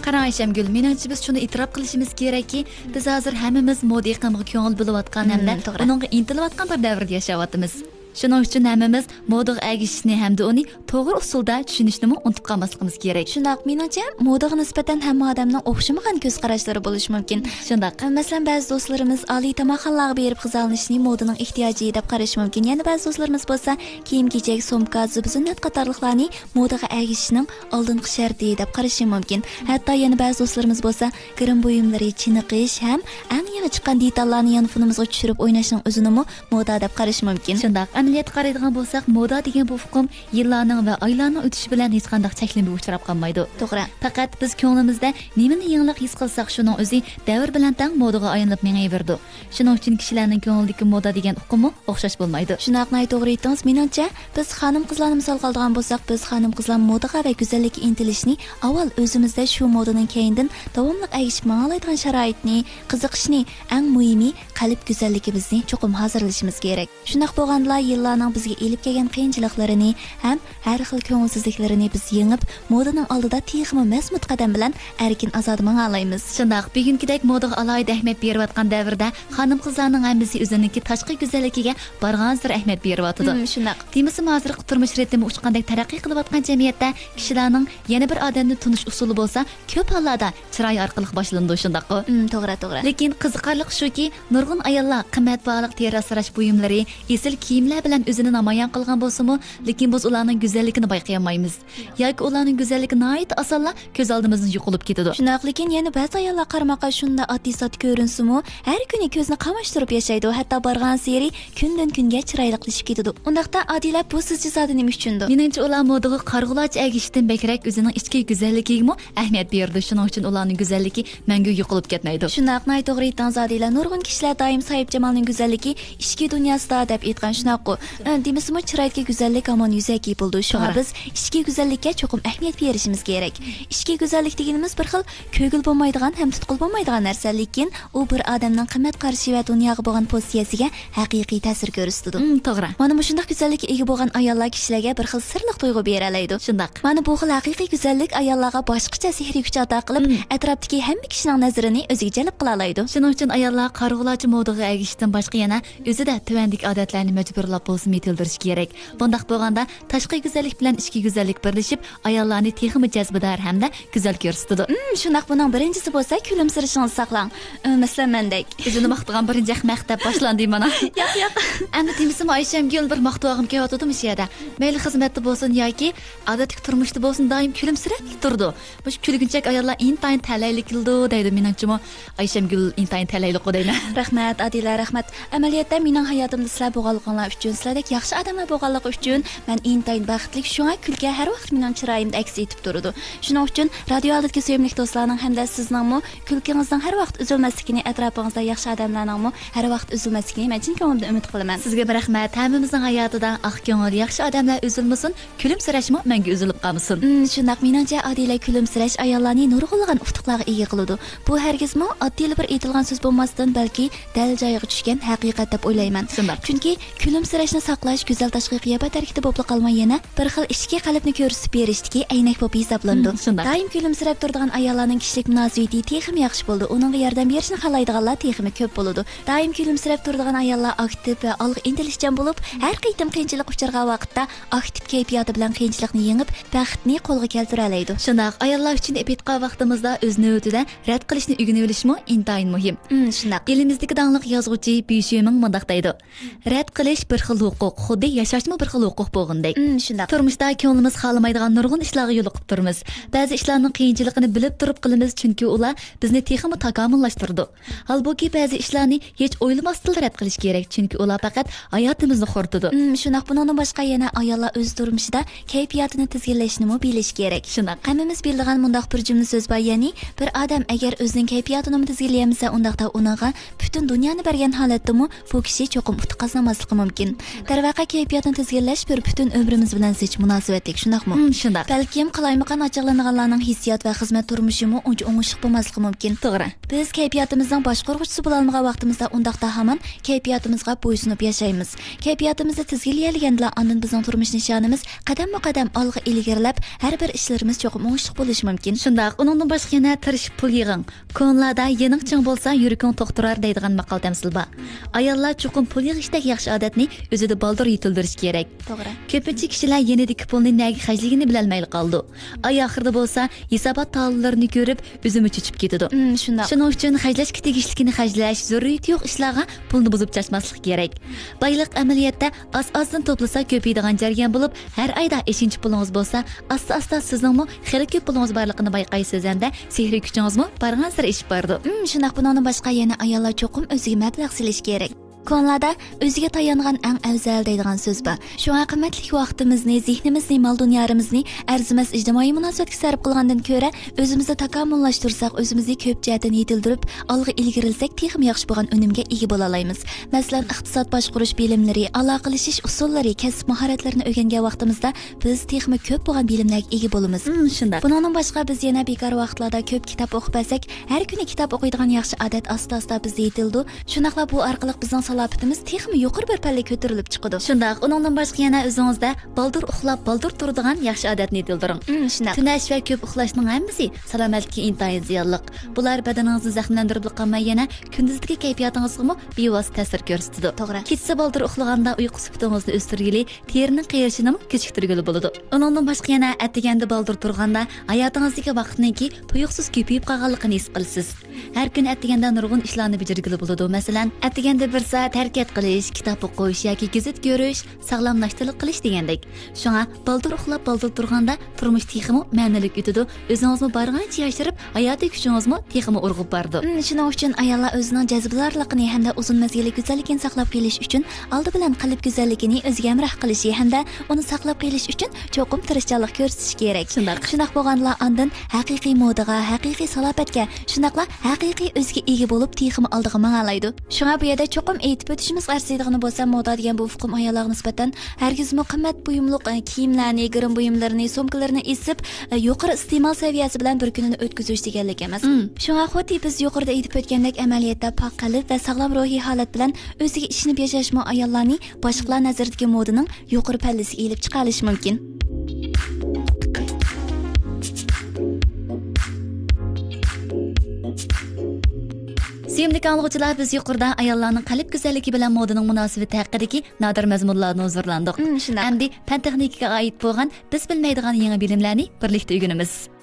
قاراڭ ئايشەمگۈل، مېنىڭچە بىز شۇنى ئېتىراپ قىلىشىمىز كېرەككى، بىز ھازىر ھەممىمىز مودا ئېقىمىغا كۆڭۈل بۆلۈۋاتقان ھەمدە مم، توغرا. ئۇنىڭغا ئىنتىلىۋاتقان بىر دەۋردە ياشاۋاتىمىز. شۇنىڭ ئۈچۈن ھەممىمىز مودىغا ئەگىشىشنى ھەمدە ئۇنى توغرا ئۇسۇلدا چۈشىنىشنىمۇ ئۇنتۇپ قالماسلىقىمىز كېرەك. شۇنداق، مېنىڭچە، مودىغا نىسبەتەن ھەممە ئادەمنىڭ ئوخشىمىغان كۆز قاراشلىرى بولۇشى مۇمكىن. شۇنداق. مەسىلەن، بەزى دوستلىرىمىز ئالىي تاماقخانىلارغا بېرىپ غىزالىنىشنى مودىنىڭ ئېھتىياجى دەپ قارىشى مۇمكىن. يەنە بەزى دوستلىرىمىز بولسا كىيىم-كېچەك، سومكا، زىبۇ-زىننەت قاتارلىقلارنى مودىغا ئەگىشىشنىڭ ئالدىنقى شەرتى دەپ قارىشى مۇمكىن. ھەتتا يەنە بەزى دوستلىرىمىز بولسا گىرىم بۇيۇملىرى، چېنىقىش ھەم ئەڭ يېڭى چىققان دېتاللارنى يانفونىمىزغا چۈشۈرۈپ ئويناشنىڭ ئۆزىنىمۇ مودا دەپ قارىشى مۇمكىن. شۇنداق، ئەمەلىيەتكە قارايدىغان بولساق، مودا دېگەن بۇ ئۇقۇم يىللارنىڭ ۋە ئايلارنىڭ ئۆتۈشى بىلەن ھېچقانداق چەكلىمىگە ئۇچراپ قالمايدۇ. توغرا. پەقەت بىز كۆڭلىمىزدە نېمىنى يېڭىلىق ھېس قىلساق، شۇنىڭ ئۆزى دەۋر بىلەن تەڭ مودىغا ئايلىنىپ مېڭىۋېرىدۇ. شۇنىڭ ئۈچۈن كىشىلەرنىڭ كۆڭلىدىكى مودا دېگەن ئۇقۇممۇ ئوخشاش بولمايدۇ. شۇنداق، ناھايىتى توغرا ئېيتتىڭىز. مېنىڭچە، بىز خانىم-قىزلارنى مىسالغا ئالىدىغان بولساق، بىز خانىم-قىزلار مودىغا ۋە گۈزەللىككە ئىنتىلىشنى ئاۋۋال ئۆزىمىزدە، شۇ مودىنىڭ كەينىدىن داۋاملىق ئەگىشىپ ماڭالايدىغان شارائىتنى، قىزىقىشنى، ئەڭ مۇھىمى، قەلب گۈزەللىكىمىزنى چوقۇم ھازىرلىشىمىز كېرەك. شۇنداق بولغاندىلا، يىللارنىڭ بىزگە ئېلىپ كەلگەن قىيىنچىلىقلىرىنى ھەم ھەر خىل كۆڭۈلسىزلىكلىرىنى بىز يېڭىپ، مودىنىڭ ئالدىدا تېخىمۇ مەزمۇت قەدەم بىلەن ئەركىن-ئازادە ماڭالايمىز. شۇنداق، بۈگۈنكىدەك مودىغا ئالاھىدە ئەھمىيەت بېرىۋاتقان دەۋردە خانىم-قىزلارنىڭ ھەممىسى ئۆزىنىڭكى تاشقى گۈزەللىكىگە بارغانسېرى ئەھمىيەت بېرىۋاتىدۇ. ھىم، شۇنداق. دېمىسىمۇ، ھازىرقى تۇرمۇش رىتىمى ئۇچقاندەك تەرەققىي قىلىۋاتقان جەمئىيەتتە كىشىلەرنىڭ يەنە بىر ئادەمنى تونۇش ئۇسۇلى بولسا كۆپ ھاللاردا چىراي ئارقىلىق باشلىنىدۇ، شۇنداققۇ؟ ئىم، توغرا، توغرا. لېكىن قىزىقارلىقى شۇكى، نۇرغۇن ئاياللار قىممەت باھالىق تېرە ئاسراش بۇيۇملىرى، ئېسىل كىيىملەر بىلەن ئۆزىنى نامايان قىلغان بولسىمۇ، لېكىن بىز ئۇلارنىڭ گۈزەللىكىنى بايقىيالمايمىز. ياكى ئۇلارنىڭ گۈزەللىكى ناھايىتى ئاسانلا كۆز ئالدىمىزدىن يوقىلىپ كېتىدۇ. شۇنداق، لېكىن يەنە بەزى ئاياللار قارىماققا شۇنداق ئاددىي-ساددا كۆرۈنسىمۇ، ھەر كۈنى كۆزنى قاماشتۇرۇپ ياشايدۇ، ھەتتا بارغانسېرى كۈندىن-كۈنگە چىرايلىقلىشىپ كېتىدۇ. ئۇنداقتا ئادىلە بۇ سىزچە زادى نېمە ئۈچۈندۇ؟ مېنىڭچە، ئۇلار مودىغا قارىغۇلارچە ئەگىشىشتىن بەكرەك ئۆزىنىڭ ئىچكى گۈزەللىكىگىمۇ ئەھمىيەت بېرىدۇ. شۇنىڭ ئۈچۈن ئۇلارنىڭ گۈزەللىكى مەڭگۈ يوقىلىپ كەتمەيدۇ. شۇنداق، ناھايىتى توغرا ئېيتتىڭىز ئادىلە. نۇرغۇن كىشىلەر دائىم ساھىبجامالنىڭ گۈزەللىكى ئىچكى دۇنياسىدا دەپ ئېيتقان، شۇنداققۇ؟ ئە، دېمىسىمۇ، چىرايدىكى گۈزەللىك ھامان يۈزەكى بولىدۇ. شۇڭا توغرا. بىز ئىچكى گۈزەللىككە چوقۇم ئەھمىيەت بېرىشىمىز كېرەك. ئىچكى گۈزەللىك دېگىنىمىز بىر خىل كۆرگىلى بولمايدىغان ھەم تۇتقىلى بولمايدىغان نەرسە، لېكىن ئۇ بىر ئادەمنىڭ قىممەت قارىشى ۋە دۇنياغا بولغان پوزىتسىيەسىگە ھەقىقىي تەسىر كۆرسىتىدۇ. مم، توغرا. مانا مۇشۇنداق گۈزەللىككە ئىگە بولغان ئاياللار كىشىلەرگە بىر خىل سىرلىق تۇيغۇ بېرەلەيدۇ. شۇنداق. مانا بۇ خىل ھەقىقىي گۈزەللىك ئاياللارغا باشقىچە سېھرىي كۈچ ئاتا قىلىپ، مم. ئەتراپتىكى ھەممە كىشىنىڭ نەزىرىنى ئۆزىگە جەلپ قىلالايدۇ. شۇنىڭ ئۈچۈن ئاياللار قارىغۇلارچە مودىغا ئەگىشىشتىن باشقا يەنە ئۆزىدە تۆۋەندىكى ئادەتلەرنى مەجبۇرلاپ بولسىمۇ يېتىلدۈرۈشى كېرەك. بۇنداق بولغاندا تاشقى گۈزەللىك بىلەن ئىچكى گۈزەللىك بىرلىشىپ، ئاياللارنى تېخىمۇ جەزبىدار ھەمدە گۈزەل كۆرسىتىدۇ. مم، شۇنداق، بۇنىڭ بىرىنچىسى بولسا كۈلۈمسىرىشىڭىزنى ساقلاڭ. ئى، مەسىلەن، مەندەك. ئۆزىنى ماختىغان بىرىنچى مەقتەپ باشلاندى مانا. ياق، ياق. ئەمدى دېمىسىمۇ ئايشەمگۈل بىر ماختىۋالغۇم كېلىۋاتىدۇ مۇشۇ يەردە. مەيلى خىزمەتتە بولسۇن ياكى ئادەتتىكى تۇرمۇشتا بولسۇن، دائىم كۈلۈمسىرەپ تۇرىدۇ. مۇشۇ كۈلگۈنچەك ئاياللار ئىنتايىن تەلەيلىك كېلىدۇ دەيدۇ. مېنىڭچىمۇ ئايشەمگۈل ئىنتايىن تەلەيلىكقۇ دەيمەن. رەھمەت، ئادىلە، رەھمەت. ئەمەلىيەتتە مېنىڭ ھاياتىمدا سىلەر بولغانلىقىڭلار ئۈچۈن، سىلەردەك ياخشى ئادەملەر بولغانلىقى ئۈچۈن مەن ئىنتايىن بەختلىك. شۇڭا كۈلكە ھەر ۋاقىت مېنىڭ چىرايىمدا ئەكس ئېتىپ تۇرىدۇ. شۇنىڭ ئۈچۈن رادىيو ئالدىدىكى سۆيۈملۈك دوستلارنىڭ ھەمدە سىزنىڭمۇ كۈلكىڭىزنىڭ ھەر ۋاقىت ئۈزۈلمەسلىكىنى، ئەتراپىڭىزدا ياخشى ئادەملەرنىڭمۇ ھەر ۋاقىت ئۈزۈلمەسلىكىنى مەن چىن كۆڭلۈمدىن ئۈمىد قىلىمەن. سىزگىمۇ رەھمەت. ھەممىمىزنىڭ ھاياتىدا ئاق كۆڭۈل، ياخشى ئادەملەر ئۈزۈلمىسۇن، كۈلۈمسىرەشمۇ مەڭگۈ ئۈزۈلۈپ قالمىسۇن. مم، شۇنداق. مېنىڭچە، ئادىلە، كۈلۈمسىرەش ئاياللارنى نۇرغۇنلىغان ئۇتۇقلارغا ئىگە قىلىدۇ. بۇ ھەرگىزمۇ ئاددىيلا بىر ئېيتىلغان سۆز بولماستىن، بەلكى دەل جايىغا چۈشكەن ھەقىقەت دەپ ئويلايمەن. شۇنداق. چۈنكى كۈلۈمسىرەشنى ساقلاش گۈزەل تاشقى قىياپەت ھەرىكىتى بولۇپلا قالماي، يەنە بىر خىل ئىچكى قەلبنى كۆرسىتىپ بېرىشتىكى ئەينەك بولۇپ ھېسابلىنىدۇ. مم، شۇنداق. دائىم كۈلۈمسىرەپ تۇرىدىغان ئاياللارنىڭ كىشىلىك مۇناسىۋىتى تېخىمۇ ياخشى بولىدۇ. ئۇنىڭغا ياردەم بېرىشنى خالايدىغانلار تېخىمۇ كۆپ بولىدۇ. دائىم كۈلۈمسىرەپ تۇرىدىغان ئاياللار ئاكتىپ ۋە ئالغا ئىنتىلىشچان بولۇپ، ھەر قېتىم قىيىنچىلىق ئۇچرىغان ۋاقىتتا ئاكتىپ كەيپىياتى بىلەن قىيىنچىلىقنى يېڭىپ، بەختنى قولغا كەلتۈرەلەيدۇ. شۇنداق، ئاياللار ئۈچۈن دەپ ئېيتقان ۋاقتىمىزدا ئۆز نۆۋىتىدە رەت قىلىشنى ئۆگىنىۋېلىشمۇ ئىنتايىن مۇھىم. ئىم، شۇنداق. ئېلىمىزدىكى داڭلىق يازغۇچى بۈ شۈمىڭ مۇنداق دەيدۇ: «رەت قىلىش بىر خىل ھوقۇق، خۇددى ياشاشمۇ بىر خىل ھوقۇق بولغىنىدەك.» ئىم، شۇنداق. تۇرمۇشتا كۆڭلىمىز خالىمايدىغان نۇرغۇن ئىشلارغا يولۇقۇپ تۇرىمىز. بەزى ئىشلارنىڭ قىيىنچىلىقىنى بىلىپ تۇرۇپ قىلىمىز، چۈنكى ئۇلار بىزنى تېخىمۇ تاكامۇللاشتۇرىدۇ. ھالبۇكى، بەزى ئىشلارنى ھېچ ئويلىماستىنلا رەت قىلىش كېرەك، چۈنكى ئۇلار پەقەت ھاياتىمىزنى خورىتىدۇ. ئىم، شۇنداق. بۇنىڭدىن باشقا يەنە ئاياللار ئۆز تۇرمۇشىدا كەيپىياتىنى تىزگىنلەشنىمۇ بىلىشى كېرەك. شۇنداق. ھەممىمىز بىلىدىغان مۇنداق بىر جۈملە سۆز بار، يەنى، بىر ئادەم ئەگەر ئۆزىنىڭ كەيپىياتىنىمۇ تىزگىنلىيەلمىسە، ئۇنداقتا ئۇنىڭغا پۈتۈن دۇنيانى بەرگەن ھالەتتىمۇ بۇ كىشى چوقۇم ئۇتۇق قازىنالماسلىقى مۇمكىن. دەرۋەقە، كەيپىياتنى تىزگىنلەش بىر پۈتۈن ئۆمرىمىز بىلەن زىچ مۇناسىۋەتلىك، شۇنداقمۇ؟ ئىم، شۇنداق. بەلكىم قالايمىقان ئاچچىقلىنىدىغانلارنىڭ ھېسسىيات ۋە خىزمەت تۇرمۇشىمۇ ئۇنچە ئوڭۇشلۇق بولماسلىقى مۇمكىن. توغرا. بىز كەيپىياتىمىزنىڭ باشقۇرغۇچىسى بولالمىغان ۋاقتىمىزدا ئۇنداقتا ھامان كەيپىياتىمىزغا بويسۇنۇپ ياشايمىز. كەيپىياتىمىزنى تىزگىنلىيەلىگەندىلا ئاندىن بىزنىڭ تۇرمۇش نىشانىمىز قەدەممۇ قەدەم ئالغا ئىلگىرىلەپ، ھەر بىر ئىشلىرىمىز چوقۇم ئوڭۇشلۇق بولۇشى مۇمكىن. شۇنداق، ئۇنىڭدىن باشقا يەنە تىرىشىپ پۇل يىغىڭ. كونىلاردا «يېنىڭ چىڭ بولسا، يۈرىكىڭ توختۇرار» دەيدىغان ماقال تەمسىل بار. ئاياللار چوقۇم پۇل يىغىشتەك ياخشى ئادەتنى ئۆزىدە بالدۇر يېتىلدۈرۈشى كېرەك. توغرا. كۆپىنچە كىشىلەر يېنىدىكى پۇلنى نەگە خەجلىگىنى بىلەلمەيلا قالىدۇ. ئاي ئاخىرىدا بولسا ھېسابات تاللىرىنى كۆرۈپ، ئۆزىمۇ چۆچۈپ كېتىدۇ. ئىم، شۇنداق. شۇنىڭ ئۈچۈن خەجلەشكە تېگىشلىكىنى خەجلەش، زۆرۈرىيىتى يوق ئىشلارغا پۇلنى بۇزۇپ چاچماسلىق كېرەك. بايلىق ئەمەلىيەتتە ئاز-ئازدىن توپلىسا كۆپىيىدىغان جەريان بولۇپ، ھەر ئايدا ئېشىنچە پۇلىڭىز بولسا، ئاستا-ئاستا سىزنىڭمۇ خېلى كۆپ پۇلىڭىز بارلىقىنى بايقايسىز ھەمدە سېھرىي كۈچىڭىزمۇ بارغانسېرى ئېشىپ بارىدۇ. ئىم، شۇنداق. بۇنىڭدىن باشقا يەنە ئاياللار چوقۇم ئۆزىگە مەبلەغ سېلىشى كېرەك. كونىلاردا «ئۆزىگە تايانغان ئەڭ ئەۋزەل» دەيدىغان سۆز بار. شۇڭا قىممەتلىك ۋاقتىمىزنى، زېھنىمىزنى، مال-دۇنيالىرىمىزنى ئەرزىمەس ئىجتىمائىي مۇناسىۋەتكە سەرپ قىلغاندىن كۆرە، ئۆزىمىزنى تاكامۇللاشتۇرساق، ئۆزىمىزنى كۆپ جەھەتتىن يېتىلدۈرۈپ، ئالغا ئىلگىرىلىسەك، تېخىمۇ ياخشى بولغان ئۈنۈمگە ئىگە بولالايمىز. مەسىلەن، ئىقتىساد باشقۇرۇش بىلىملىرى، ئالاقىلىشىش ئۇسۇللىرى، كەسىپ ماھارەتلىرىنى ئۆگەنگەن ۋاقتىمىزدا، بىز تېخىمۇ كۆپ بولغان بىلىملەرگە ئىگە بولىمىز. ئىم، شۇنداق. بۇنىڭدىن باشقا، بىز يەنە بىكار ۋاقىتلاردا كۆپ كىتاب ئوقۇپ بەرسەك، ھەر كۈنى كىتاب ئوقۇيدىغان ياخشى ئادەت ئاستا-ئاستا بىزدە يېتىلىدۇ. شۇنداقلا بۇ ئارقىلىق بىزنىڭ سالاپىتىمىز تېخىمۇ يۇقىرى بىر پەللىگە كۆتۈرۈلۈپ چىقىدۇ. شۇنداق، ئۇنىڭدىن باشقا يەنە ئۆزىڭىزدە بالدۇر ئۇخلاپ، بالدۇر تۇرىدىغان ياخشى ئادەتنى يېتىلدۈرۈڭ. ئىم، شۇنداق. تۈنەش ۋە كۆپ ئۇخلاشنىڭ ھەممىسى سالامەتلىككە ئىنتايىن زىيانلىق. بۇلار بەدىنىڭىزنى زەخىملەندۈرۈپلا قالماي، يەنە كۈندۈزدىكى كەيپىياتىڭىزغىمۇ بىۋاسىتە تەسىر كۆرسىتىدۇ. توغرا. كېچىسى بالدۇر ئۇخلىغاندا ئۇيقۇ سۈپىتىڭىزنى ئۆستۈرگىلى، تېرىنىڭ قېرىشىنىمۇ كېچىكتۈرگىلى بولىدۇ. ئۇنىڭدىن باشقا يەنە ئەتىگەندە بالدۇر تۇرغاندا ھاياتىڭىزدىكى ۋاقىتنىڭكى تۇيۇقسىز كۆپىيىپ قالغانلىقىنى ھېس قىلىسىز. ھەر كۈنى ئەتىگەندە نۇرغۇن ئىشلارنى بېجىرگىلى بولىدۇ. مەسىلەن، ئەتىگەندە بىر سائەت ھەرىكەت قىلىش، كىتاب ئوقۇش ياكى گېزىت كۆرۈش، ساغلام ناشتىلىق قىلىش دېگەندەك. شۇڭا بالدۇر ئۇخلاپ، بالدۇر تۇرغاندا تۇرمۇش تېخىمۇ مەنىلىك ئۆتىدۇ، ئۆزىڭىزمۇ بارغانچە ياشىرىپ، ھاياتىي كۈچىڭىزمۇ تېخىمۇ ئۇرغۇپ بارىدۇ. مم، شۇنىڭ ئۈچۈن ئاياللار ئۆزىنىڭ جەزبىدارلىقىنى ھەمدە ئۇزۇن مەزگىللىك گۈزەللىكىنى ساقلاپ قېلىش ئۈچۈن ئالدى بىلەن قەلب گۈزەللىكىنى ئۆزىگە ھەمراھ قىلىشى ھەمدە ئۇنى ساقلاپ قېلىش ئۈچۈن چوقۇم تىرىشچانلىق كۆرسىتىشى كېرەك. شۇنداق. شۇنداق بولغاندىلا ئاندىن ھەقىقىي مودىغا، ھەقىقىي سالاپەتكە، شۇنداقلا ھەقىقىي ئۆزىگە ئىگە بولۇپ، تېخىمۇ ئالدىغا ماڭالايدۇ. شۇڭا بۇ يەردە چوقۇم ئېيتىپ ئۆتۈشىمىز ئەرزىيدىغىنى بولسا، مودا دېگەن بۇ ئۇقۇم ئاياللارغا نىسبەتەن ھەرگىزمۇ قىممەت بۇيۇملۇق، ئە، كىيىملەرنى، گىرىم بۇيۇملىرىنى، سومكىلىرىنى ئېسىپ، ئە، يۇقىرى ئىستېمال سەۋىيەسى بىلەن بىر كۈنىنى ئۆتكۈزۈش دېگەنلىك ئەمەس. مم. شۇڭا خۇددى بىز يۇقىرىدا ئېيتىپ ئۆتكەندەك، ئەمەلىيەتتە پاك قەلب ۋە ساغلام روھىي ھالەت بىلەن ئۆزىگە ئىشىنىپ ياشاشمۇ ئاياللارنى باشقىلار نەزىرىدىكى مودىنىڭ يۇقىرى پەللىسىگە ئېلىپ چىقالىشى مۇمكىن. سۆيۈملۈك ئاڭلىغۇچىلار، بىز يۇقىرىدا ئاياللارنىڭ قەلب گۈزەللىكى بىلەن مودىنىڭ مۇناسىۋىتى ھەققىدىكى نادىر مەزمۇنلاردىن ھۇزۇرلاندۇق. مم، شۇنداق. ئەمدى پەن تېخنىكىگە ئائىت بولغان بىز بىلمەيدىغان يېڭى بىلىملەرنى بىرلىكتە ئۆگىنىمىز.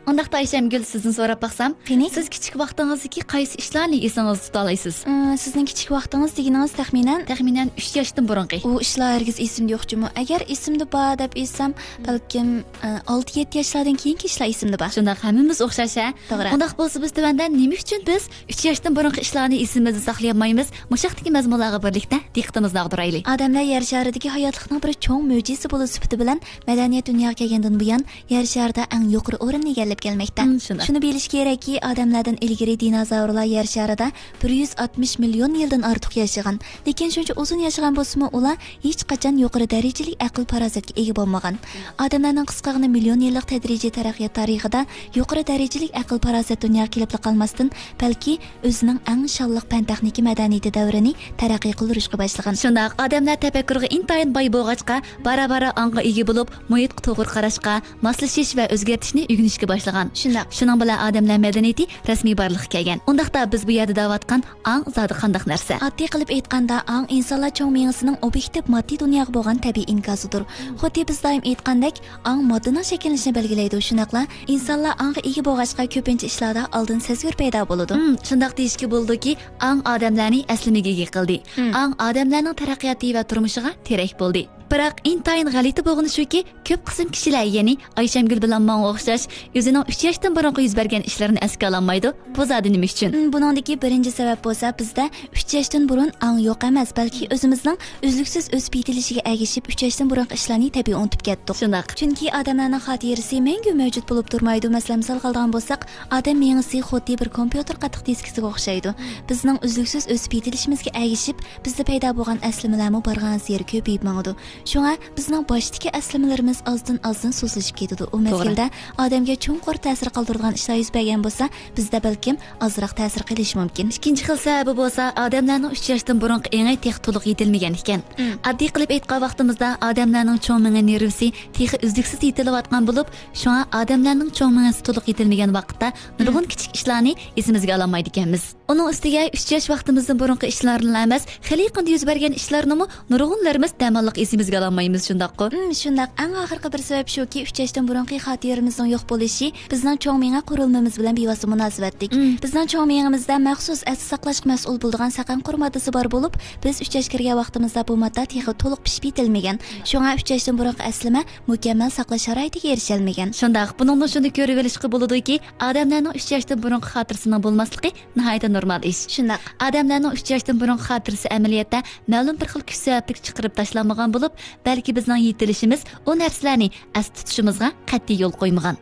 ئۇنداقتا ئايشەمگۈل، سىزدىن سوراپ باقسام، قېنى؟ سىز كىچىك ۋاقتىڭىزدىكى قايسى ئىشلارنى ئېسىڭىزدە تۇتالايسىز؟ ئى، سىزنىڭ كىچىك ۋاقتىڭىز دېگىنىڭىز تەخمىنەن؟ تەخمىنەن ئۈچ ياشتىن بۇرۇنقى. ئۇ ئىشلار ھەرگىز ئېسىمدە يوق جۇمۇ. ئەگەر ئېسىمدە بار دەپ ئېيتسام، بەلكىم، ئى، ئالتە يەتتە ياشلاردىن كېيىنكى ئىشلار ئېسىمدە بار. شۇنداق، ھەممىمىز ئوخشاش ھە؟ توغرا. ئۇنداق بولسا بىز تۆۋەندە نېمە ئۈچۈن بىز ئۈچ ياشتىن بۇرۇنقى ئىشلارنى ئېسىمىزدە ساقلىيالمايمىز؟ مۇشۇ ھەقتىكى مەزمۇنلارغا بىرلىكتە دىققىتىمىزنى ئاغدۇرايلى. ئادەملەر يەر شارىدىكى ھاياتلىقنىڭ بىر چوڭ مۆجىزىسى بولۇش سۈپىتى بىلەن مەدەنىيەت دۇنياغا كەلگەندىن بۇيان يەر شارىدا ئەڭ يۇقىرى ئورۇننى ئىگىلەپ كەلمەكتە. مم، شۇنداق. شۇنى بىلىش كېرەككى، ئادەملەردىن ئىلگىرى دىنوزاۋرلار يەر شارىدا بىر يۈز ئاتمىش مىليون يىلدىن ئارتۇق ياشىغان. لېكىن شۇنچە ئۇزۇن ياشىغان بولسىمۇ، ئۇلار ھېچقاچان يۇقىرى دەرىجىلىك ئەقىل-پاراسەتكە ئىگە بولمىغان. ئادەملەرنىڭ قىسقىغىنە مىليون يىللىق تەدرىجىي تەرەققىيات تارىخىدا يۇقىرى دەرىجىلىك ئەقىل-پاراسەت دۇنياغا كېلىپلا قالماستىن، بەلكى ئۆزىنىڭ ئەڭ شانلىق پەن-تېخنىكا مەدەنىيىتى دەۋرىنى تەرەققىي قىلدۇرۇشقا باشلىغان. شۇنداق، ئادەملەر تەپەككۇرغا ئىنتايىن باي بولغاچقا، بارا-بارا ئاڭغا ئىگە بولۇپ، مۇھىتقا توغرا قاراشقا، ماسلىشىش ۋە ئۆزگەرتىشنى ئۆگىنىشكە باشلىغان. شۇنداق. شۇنىڭ بىلەن ئادەملەر مەدەنىيىتى رەسمىي بارلىققا كەلگەن. ئۇنداقتا بىز بۇ يەردە دەۋاتقان ئاڭ زادى قانداق نەرسە؟ ئاددىي قىلىپ ئېيتقاندا، ئاڭ ئىنسانلار چوڭ مېڭىسىنىڭ ئوبيېكتىپ ماددىي دۇنياغا بولغان تەبىئىي ئىنكاسىدۇر. خۇددى بىز دائىم ئېيتقاندەك، ئاڭ ماددىنىڭ شەكىللىنىشىنى بەلگىلەيدۇ. شۇنداقلا، ئىنسانلار ئاڭغا ئىگە بولغاچقا، كۆپىنچە ئىشلاردا ئالدىن سەزگۈر پەيدا بولىدۇ. مم، شۇنداق دېيىشكە بولىدۇكى، ئاڭ ئادەملەرنى ئەسلىمىگە ئىگە قىلدى. مم. ئاڭ ئادەملەرنىڭ تەرەققىياتى ۋە تۇرمۇشىغا تىرەك بولدى. بىراق، ئىنتايىن غەلىتە بولغىنى شۇكى، كۆپ قىسىم كىشىلەر، يەنى ئايشەمگۈل بىلەن ماڭا ئوخشاش، ئۆزىنىڭ ئۈچ ياشتىن بۇرۇنقى يۈز بەرگەن ئىشلىرىنى ئەسكە ئالالمايدۇ. بۇ زادى نېمە ئۈچۈن؟ مم، بۇنىڭدىكى بىرىنچى سەۋەب بولسا، بىزدە ئۈچ ياشتىن بۇرۇن ئاڭ يوق ئەمەس، بەلكى ئۆزىمىزنىڭ ئۈزلۈكسىز ئۆسۈپ يېتىلىشىگە ئەگىشىپ، ئۈچ ياشتىن بۇرۇنقى ئىشلارنى تەبىئىي ئۇنتۇپ كەتتۇق. شۇنداق. چۈنكى ئادەملەرنىڭ خاتىرىسى مەڭگۈ مەۋجۇت بولۇپ تۇرمايدۇ. مەسىلەن، مىسالغا ئالىدىغان بولساق، ئادەم مېڭىسى خۇددى بىر كومپيۇتېر قاتتىق دىسكىسىغا ئوخشايدۇ. بىزنىڭ ئۈزلۈكسىز ئۆسۈپ يېتىلىشىمىزگە ئەگىشىپ، بىزدە پەيدا بولغان ئەسلىمىلەرمۇ بارغانسېرى كۆپىيىپ ماڭىدۇ. شۇڭا بىزنىڭ باشتىكى ئەسلىمىلىرىمىز ئازدىن-ئازدىن سۇسلىشىپ كېتىدۇ. ئۇ توغرا. مەزگىلدە ئادەمگە چوڭقۇر تەسىر قالدۇرىدىغان ئىشلار يۈز بەرگەن بولسا، بىزدە بەلكىم ئازراق تەسىر قىلىشى مۇمكىن. ئىككىنچى خىل سەۋەبى بولسا، ئادەملەرنىڭ ئۈچ ياشتىن بۇرۇنقى ئېڭى تېخى تولۇق يېتىلمىگەن ئىكەن. مم. ئاددىي قىلىپ ئېيتقان ۋاقتىمىزدا ئادەملەرنىڭ چوڭ مېڭە نېرۋىسى تېخى ئۈزلۈكسىز يېتىلىۋاتقان بولۇپ، شۇڭا ئادەملەرنىڭ چوڭ مېڭىسى تولۇق يېتىلمىگەن ۋاقىتتا نۇرغۇن مم. كىچىك ئىشلارنى ئېسىمىزگە ئالالمايدىكەنمىز. ئۇنىڭ ئۈستىگە ئۈچ ياش ۋاقتىمىزدىن بۇرۇنقى ئىشلارنىلا ئەمەس، خېلى يېقىندا يۈز بەرگەن ئىشلارنىمۇ نۇرغۇنلىرىمىز دەماللىق ئېسىمىزگە ئالالمايمىز، شۇنداققۇ؟ مم، شۇنداق. ئەڭ ئاخىرقى بىر سەۋەب شۇكى، ئۈچ ياشتىن بۇرۇنقى خاتىرىمىزنىڭ يوق بولۇشى بىزنىڭ چوڭ مېڭە قۇرۇلمىمىز بىلەن بىۋاسىتە مۇناسىۋەتلىك. مم. بىزنىڭ چوڭ مېڭىمىزدە مەخسۇس ئەستە ساقلاشقا مەسئۇل بولىدىغان سەقەنقۇر ماددىسى بار بولۇپ، بىز ئۈچ ياشقا كىرگەن ۋاقتىمىزدا بۇ ماددا تېخى تولۇق پىشىپ يېتىلمىگەن. شۇڭا ئۈچ ياشتىن بۇرۇنقى ئەسلىمە مۇكەممەل ساقلاش شارائىتىگە ئېرىشەلمىگەن. شۇنداق. بۇنىڭدىن شۇنى كۆرۈۋېلىشقا بولىدۇكى، ئادەملەرنىڭ ئۈچ ياشتىن بۇرۇنقى خاتىرىسىنىڭ بولماسلىقى ناھايىتى نورمال ئىش. شۇنداق. ئادەملەرنىڭ ئۈچ ياشتىن بۇرۇنقى خاتىرىسى ئەمەلىيەتتە مەلۇم بىر خىل كۈچ سەۋەبلىك چىقىرىپ تاشلانمىغان بولۇپ، بەلكى بىزنىڭ يېتىلىشىمىز ئۇ نەرسىلەرنى ئەستە تۇتۇشىمىزغا قەتئىي يول قويمىغان.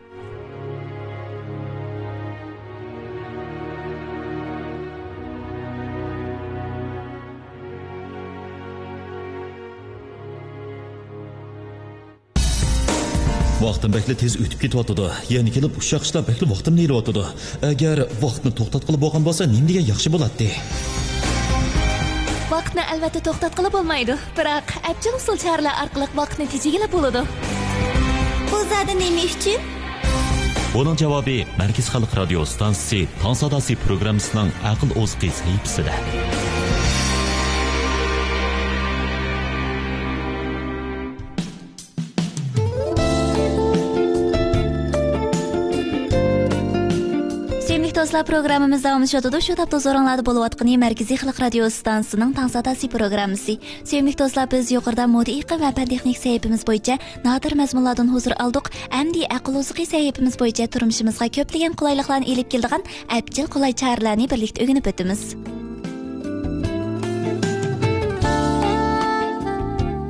ۋاقتىم بەكلا تېز ئۆتۈپ كېتىۋاتىدۇ. يەنە كېلىپ ئۇششاق ئىشلار بەكلا ۋاقتىمنى ئېلىۋاتىدۇ. ئەگەر ۋاقىتنى توختاتقىلى بولغان بولسا، نېمە دېگەن ياخشى بولاتتى؟ ۋاقىتنى ئەلۋەتتە توختاتقىلى بولمايدۇ، بىراق ئەپچىل ئۇسۇل چارىلەر ئارقىلىق ۋاقىتنى تېجىگىلى بولىدۇ. بۇ زادى نېمە ئۈچۈن؟ بۇنىڭ جاۋابى مەركىزىي خەلق رادىيو ئىستانسىسى تاڭ ساداسى پروگراممىسىنىڭ ئەقىل ئوزۇقى سەھىپىسىدە. دوستلار، پروگراممىمىز داۋاملىشىۋاتىدۇ. شۇ تاپتا ھۇزۇرۇڭلاردا بولۇۋاتقىنى مەركىزىي خەلق رادىيو ئىستانسىسىنىڭ تاڭ ساداسى پروگراممىسى. سۆيۈملۈك دوستلار، بىز يۇقىرىدا مودا ئېقىم ۋە پەن تېخنىك سەھىپىمىز بويىچە نادىر مەزمۇنلاردىن ھۇزۇر ئالدۇق. ئەمدى ئەقىل ئوزۇقى سەھىپىمىز بويىچە تۇرمۇشىمىزغا كۆپلىگەن قولايلىقلارنى ئېلىپ كېلىدىغان ئەپچىل قولاي چارىلەرنى بىرلىكتە ئۆگىنىپ ئۆتىمىز.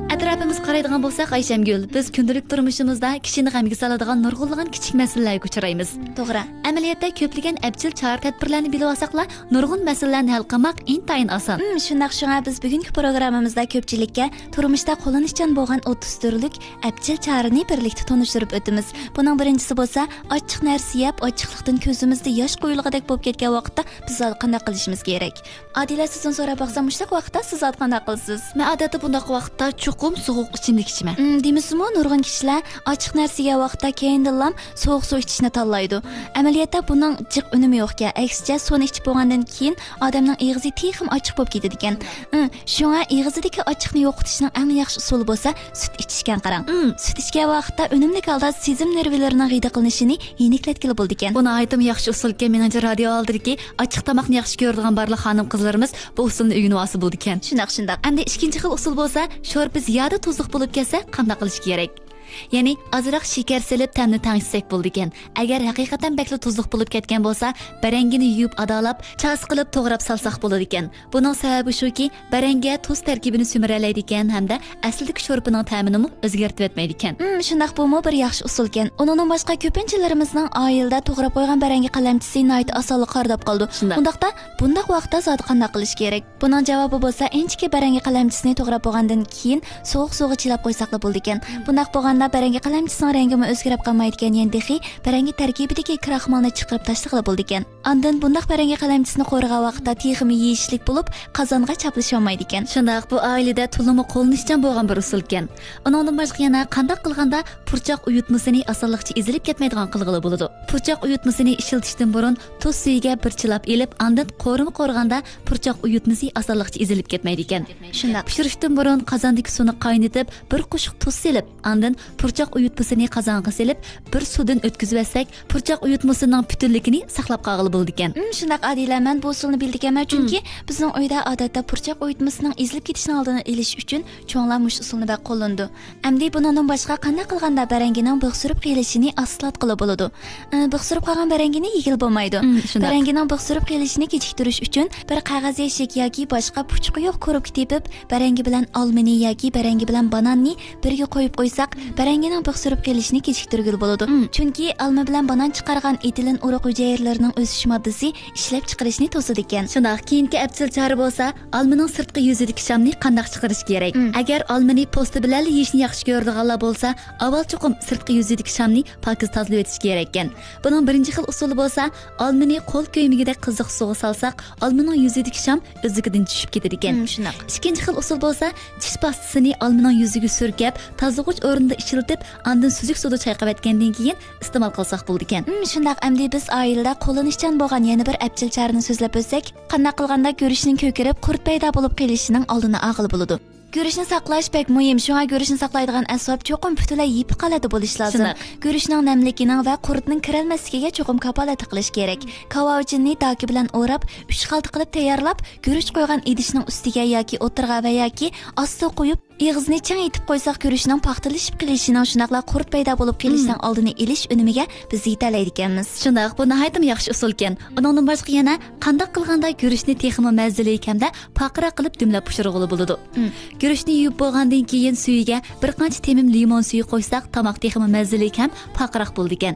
ئەتراپىمىزغا قارايدىغان بولساق، ئايشەمگۈل، بىز كۈندىلىك تۇرمۇشىمىزدا كىشىنى غەمگە سالىدىغان نۇرغۇنلىغان كىچىك مەسىلىلەرگە ئۇچرايمىز. توغرا. ئەمەلىيەتتە كۆپلىگەن ئەپچىل چارە-تەدبىرلەرنى بىلىۋالساقلا، نۇرغۇن مەسىلىلەرنى ھەل قىلماق ئىنتايىن ئاسان. ھىم، شۇنداق. شۇڭا بىز بۈگۈنكى پروگراممىمىزدا كۆپچىلىككە تۇرمۇشتا قوللىنىشچان بولغان ئوتتۇز تۈرلۈك ئەپچىل چارىنى بىرلىكتە تونۇشتۇرۇپ ئۆتىمىز. بۇنىڭ بىرىنچىسى بولسا، ئاچچىق نەرسە يەپ، ئاچچىقلىقتىن كۆزىمىزدە ياش قۇيۇلغۇدەك بولۇپ كەتكەن ۋاقىتتا بىز زادى قانداق قىلىشىمىز كېرەك؟ ئادىلە، سىزدىن سوراپ باقسام، مۇشۇنداق ۋاقىتتا سىز زادى قانداق قىلىسىز؟ مەن ئادەتتە بۇنداق ۋاقىتتا چوقۇم سوغۇق ئىچىملىك ئىچىمەن. ئىم، دېمىسىمۇ، نۇرغۇن كىشىلەر ئاچچىق نەرسە يېگەن ۋاقىتتا كەينىدىنلا سوغۇق سۇ ئىچىشنى تاللايدۇ. ئەمەلىيەتتە بۇنىڭ جىق ئۈنۈمى يوقكەن. ئەكسىچە، سۇنى ئىچىپ بولغاندىن كېيىن ئادەمنىڭ ئېغىزى تېخىمۇ ئاچچىق بولۇپ كېتىدىكەن. ئىم، شۇڭا ئېغىزىدىكى ئاچچىقنى يوقىتىشنىڭ ئەڭ ياخشى ئۇسۇلى بولسا سۈت ئىچىشكەن، قاراڭ. ئىم. سۈت ئىچكەن ۋاقىتتا ئۈنۈملۈك ھالدا سېزىم نېرۋىلىرىنىڭ غىدىقلىنىشىنى يېنىكلەتكىلى بولىدىكەن. بۇ ناھايىتىمۇ ياخشى ئۇسۇلكەن. مېنىڭچە، رادىيو ئالدىدىكى ئاچچىق تاماقنى ياخشى كۆرىدىغان بارلىق خانىم-قىزلىرىمىز بۇ ئۇسۇلنى ئۆگىنىۋالسا بولىدىكەن. شۇنداق، شۇنداق. ئەمدى ئىككىنچى خىل ئۇسۇل بولسا، شورپا زىيادە تۇزلۇق بولۇپ كەتسە قانداق قىلىش كېرەك؟ يەنى ئازراق شېكەر سېلىپ تەمنى تەڭشىسەك بولىدىكەن. ئەگەر ھەقىقەتەن بەكلا تۇزلۇق بولۇپ كەتكەن بولسا، بەرەڭگىنى يۇيۇپ ئادالاپ، چاسا قىلىپ توغراپ سالساق بولىدىكەن. بۇنىڭ سەۋەبى شۇكى، بەرەڭگە تۇز تەركىبىنى سۈمۈرەلەيدىكەن ھەمدە ئەسلىدىكى شورپىنىڭ تەمىنىمۇ ئۆزگەرتىۋەتمەيدىكەن. ئىم، شۇنداق، بۇمۇ بىر ياخشى ئۇسۇلكەن. ئۇنىڭدىن باشقا، كۆپىنچىلىرىمىزنىڭ ئائىلىدە توغراپ قويغان بەرەڭگە قەلەمچىسى ناھايىتى ئاسانلا قارىداپ قالىدۇ. شۇنداق. ئۇنداقتا، بۇنداق ۋاقىتتا زادى قانداق قىلىش كېرەك؟ بۇنىڭ جاۋابى بولسا، ئىنچىكە بەرەڭگە قەلەمچىسىنى توغراپ بولغاندىن كېيىن سوغۇق سۇغا چىلاپ قويساقلا بولىدىكەن. بۇنداق بولغاندا بەرەڭگە قەلەمچىسىنىڭ رەڭگىمۇ ئۆزگىرىپ قالمايدىكەن، يەنە تېخى بەرەڭگە تەركىبىدىكى كراخمالنى چىقىرىپ تاشلىغىلى بولىدىكەن. ئاندىن بۇنداق بەرەڭگە قەلەمچىسىنى قورۇغان ۋاقىتتا تېخىمۇ يېيىشلىك بولۇپ، قازانغا چاپلىشالمايدىكەن. شۇنداق، بۇ ئائىلىدە تولىمۇ قوللىنىشچان بولغان بىر ئۇسۇلكەن. ئۇنىڭدىن باشقا يەنە قانداق قىلغاندا پۇرچاق ئۇيۇتمىسىنى ئاسانلىقچە ئېزىلىپ كەتمەيدىغان قىلغىلى بولىدۇ؟ پۇرچاق ئۇيۇتمىسىنى ئىشلىتىشتىن بۇرۇن تۇز سۈيىگە بىر چىلاپ ئېلىپ، ئاندىن قورۇما قورۇغاندا پۇرچاق ئۇيۇتمىسى ئاسانلىقچە ئېزىلىپ كەتمەيدىكەن. شۇنداق. پىشۇرۇشتىن بۇرۇن قازاندىكى سۇنى قاينىتىپ، بىر قوشۇق تۇز سېلىپ، ئاندىن پۇرچاق ئۇيۇتمىسىنى قازانغا سېلىپ، بىر سۇدىن ئۆتكۈزۈۋەتسەك، پۇرچاق ئۇيۇتمىسىنىڭ پۈتۈنلۈكىنى ساقلاپ قالغىلى بولىدىكەن. ئىم، شۇنداق، ئادىلە، مەن بۇ ئۇسۇلنى بىلىدىكەنمەن، چۈنكى بىزنىڭ ئۆيدە ئادەتتە پۇرچاق ئۇيۇتمىسىنىڭ ئېزىلىپ كېتىشىنىڭ ئالدىنى ئېلىش ئۈچۈن چوڭلار مۇشۇ ئۇسۇلنى بەك قوللىنىدۇ. ئەمدى بۇنىڭدىن باشقا قانداق قىلغاندا بەرەڭگىنىڭ بىخ سۈرۈپ قېلىشىنى ئاستىلاتقىلى بولىدۇ؟ ئى، بىخ سۈرۈپ قالغان بەرەڭگىنى يېگىلى بولمايدۇ. ئىم، شۇنداق. بەرەڭگىنىڭ بىخ سۈرۈپ قېلىشىنى كېچىكتۈرۈش ئۈچۈن بىر قەغەز يەشىك ياكى باشقا پۇچۇقى يوق كوروپكا تېپىپ، بەرەڭگى بىلەن ئالمىنى ياكى بەرەڭگى بىلەن باناننى بىرگە قويۇپ قويساق، بەرەڭگىنىڭ بىخ سۈرۈپ قېلىشىنى كېچىكتۈرگىلى بولىدۇ. ئىم. چۈنكى ئالما بىلەن بانان چىقارغان ئېتىلېن ئۇرۇق ھۈجەيرىلىرىنىڭ ئۆسۈش ماددىسى ئىشلەپچىقىرىشنى توسىدىكەن. شۇنداق، كېيىنكى ئەپچىل چارە بولسا، ئالمىنىڭ سىرتقى يۈزىدىكى شامنى قانداق چىقىرىش كېرەك؟ مم. ئەگەر ئالمىنى پوستى بىلەنلا يېيىشنى ياخشى كۆرىدىغانلار بولسا، ئاۋۋال چوقۇم سىرتقى يۈزىدىكى شامنى پاكىز تازىلىۋېتىش كېرەككەن. بۇنىڭ بىرىنچى خىل ئۇسۇلى بولسا، ئالمىنى قول كۆيمىگۈدەك قىزىق سۇغا سالساق، ئالمىنىڭ يۈزىدىكى شام ئۆزلۈكىدىن چۈشۈپ كېتىدىكەن. مم، شۇنداق. ئىككىنچى خىل ئۇسۇل بولسا، چىش پاستىسىنى ئالمىنىڭ يۈزىگە سۈركەپ، تازىلىغۇچ ئورنىدا ئىشلىتىپ، ئاندىن سۈزۈك سۇدا چايقىۋەتكەندىن كېيىن ئىستېمال قىلساق بولىدىكەن. مم، شۇنداق. ئەمدى بىز ئائىلىدە قوللىنىشچان بولغان يەنە بىر ئەپچىل چارىنى سۆزلەپ ئۆتسەك، قانداق قىلغاندا گۈرۈچنىڭ كۆكىرىپ، قۇرت پەيدا بولۇپ قېلىشىنىڭ ئالدىنى ئالغىلى بولىدۇ؟ گۈرۈچنى ساقلاش بەك مۇھىم. شۇڭا گۈرۈچنى ساقلايدىغان ئەسۋاب چوقۇم پۈتۈنلەي يېپىق ھالەتتە بولۇشى لازىم. شۇنداق. گۈرۈچنىڭ نەملىكىنىڭ ۋە قۇرتنىڭ كىرەلمەسلىكىگە چوقۇم كاپالەتلىك قىلىش كېرەك. كاۋاۋىچىننى داكا بىلەن ئوراپ، ئۈچ خالتا قىلىپ تەييارلاپ، گۈرۈچ قويغان ئىدىشنىڭ ئۈستىگە ياكى ئوتتۇرىغا ۋە ياكى ئاستىغا قويۇپ، ئېغىزىنى چىڭ ئېتىپ قويساق، گۈرۈچنىڭ پاختىلىشىپ قېلىشىنىڭ، شۇنداقلا قۇرت پەيدا بولۇپ قېلىشنىڭ مم. ئالدىنى ئېلىش ئۈنۈمىگە بىز يېتەلەيدىكەنمىز. شۇنداق، بۇ ناھايىتىمۇ ياخشى ئۇسۇلكەن. ئۇنىڭدىن باشقا يەنە قانداق قىلغاندا گۈرۈچنى تېخىمۇ مەززىلىك ھەمدە پارقىراق قىلىپ دۈملەپ پىشۇرغىلى بولىدۇ؟ مم. گۈرۈچنى يۇيۇپ بولغاندىن كېيىن سۈيىگە بىر قانچە تېمىم لىمون سۈيى قوشساق، تاماق تېخىمۇ مەززىلىك ھەم پارقىراق بولىدىكەن.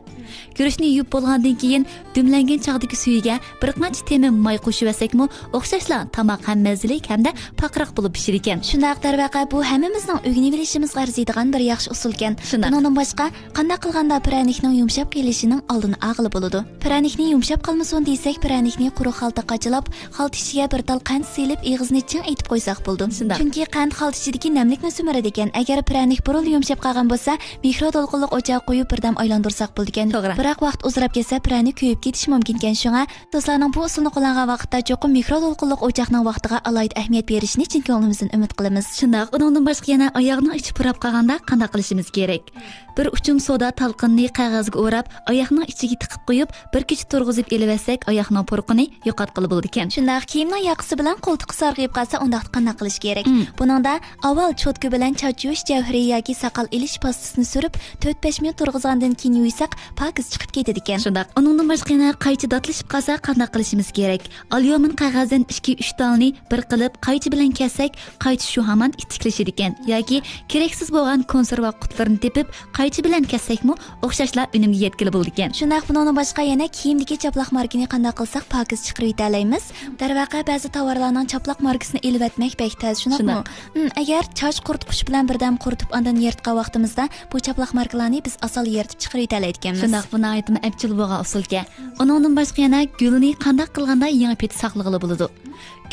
گۈرۈچنى يۇيۇپ بولغاندىن كېيىن دۈملەنگەن چاغدىكى سۈيىگە بىر قانچە تېمىم ماي قوشۇۋەتسەكمۇ، ئوخشاشلا تاماق ھەم مەززىلىك ھەمدە پارقىراق بولۇپ پىشىدىكەن. شۇنداق، دەرۋەقە، بۇ ھەممىمىزنىڭ ئۆگىنىۋېلىشىمىزغا ئەرزىيدىغان بىر ياخشى ئۇسۇلكەن. شۇنداق. بۇنىڭدىن باشقا، قانداق قىلغاندا پىرەنىكنىڭ يۇمشاپ قېلىشىنىڭ ئالدىنى ئالغىلى بولىدۇ؟ پىرەنىكنى يۇمشاپ قالمىسۇن دېسەك، پىرەنىكنى قۇرۇق خالتا قاچىلاپ، خالتا ئىچىگە بىر تال قەنت سېلىپ، ئېغىزىنى چىڭ ئېتىپ قويساق بولىدۇ. شۇنداق. چۈنكى قەنت خالتا ئىچىدىكى نەملىكنى سۈمۈرىدىكەن. ئەگەر پىرەنىك بۇرۇنلا يۇمشاپ قالغان بولسا، مىكرودولقۇنلۇق ئوچاققا قويۇپ، بىردەم ئايلاندۇرساق بولىدىكەن. توغرا. بىراق ۋاقىت ئۇزىراپ كەتسە، پىرەنىك كۆيۈپ كېتىشى مۇمكىنكەن. شۇڭا دوستلارنىڭ بۇ ئۇسۇلنى قوللانغان ۋاقىتتا چوقۇم مىكرودولقۇنلۇق ئوچاقنىڭ ۋاقتىغا ئالاھىدە ئەھمىيەت بېرىشىنى چىن كۆڭلىمىزدىن ئۈمىد قىلىمىز. شۇنداق، ئۇنىڭدىن باشقا يەنە ئاياغنىڭ ئىچى پۇراپ قالغاندا قانداق قىلىشىمىز كېرەك؟ بىر ئۇچۇم سودا تالقىنىنى قەغەزگە ئوراپ، ئاياغنىڭ ئىچىگە تىقىپ قويۇپ، بىر كېچە تۇرغۇزۇپ ئېلىۋەتسەك، ئاياغنىڭ پۇرىقىنى يوقاتقىلى بولىدىكەن. شۇنداق، كىيىمنىڭ ياقىسى بىلەن قولتۇقى سارغىيىپ قالسا، ئۇنداقتا قانداق قىلىش كېرەك؟ مم. بۇنىڭدا ئاۋۋال چوتكا بىلەن چاچ يۇيۇش جەۋھىرى ياكى ساقال ئېلىش پاستىسىنى سۈرۈپ، تۆت بەش مىنۇت تۇرغۇزغاندىن كېيىن يۇيساق، پاكىز چىقىپ كېتىدىكەن. شۇنداق. ئۇنىڭدىن باشقا يەنە قايچا داتلىشىپ قالسا، قانداق قىلىشىمىز كېرەك؟ ئاليۇمىن قەغەزدىن ئىككى، ئۈچ تالنى بىر قىلىپ، قايچا بىلەن كەسسەك، قايچا شۇ ھامان ئىتتىكلىشىدىكەن. ياكى كېرەكسىز بولغان كونسېرۋا قۇتىلىرىنى تېپىپ، قايچا بىلەن كەسسەكمۇ ئوخشاشلا ئۈنۈمگە يەتكىلى بولىدىكەن. شۇنداق، بۇنىڭدىن باشقا يەنە كىيىمدىكى چاپلاق ماركىنى قانداق قىلساق پاكىز چىقىرىۋېتەلەيمىز؟ دەرۋەقە، بەزى تاۋارلارنىڭ چاپلاق ماركىسىنى ئېلىۋەتمەك بەك تەس، شۇنداقمۇ؟ شۇنداق. ھىم، ئەگەر چاچ قۇرۇتقۇچ بىلەن بىردەم قۇرۇتۇپ، ئاندىن يىرتقان ۋاقتىمىزدا، بۇ چاپلاق ماركىلارنى بىز ئاسانلا يىرتىپ چىقىرىۋېتەلەيدىكەنمىز. شۇنداق، بۇ ناھايىتىمۇ ئەپچىل بولغان ئۇسۇلكەن. ئۇنىڭدىن باشقا يەنە گۈلنى قانداق قىلغاندا يېڭى پېتى ساقلىغىلى بولىدۇ؟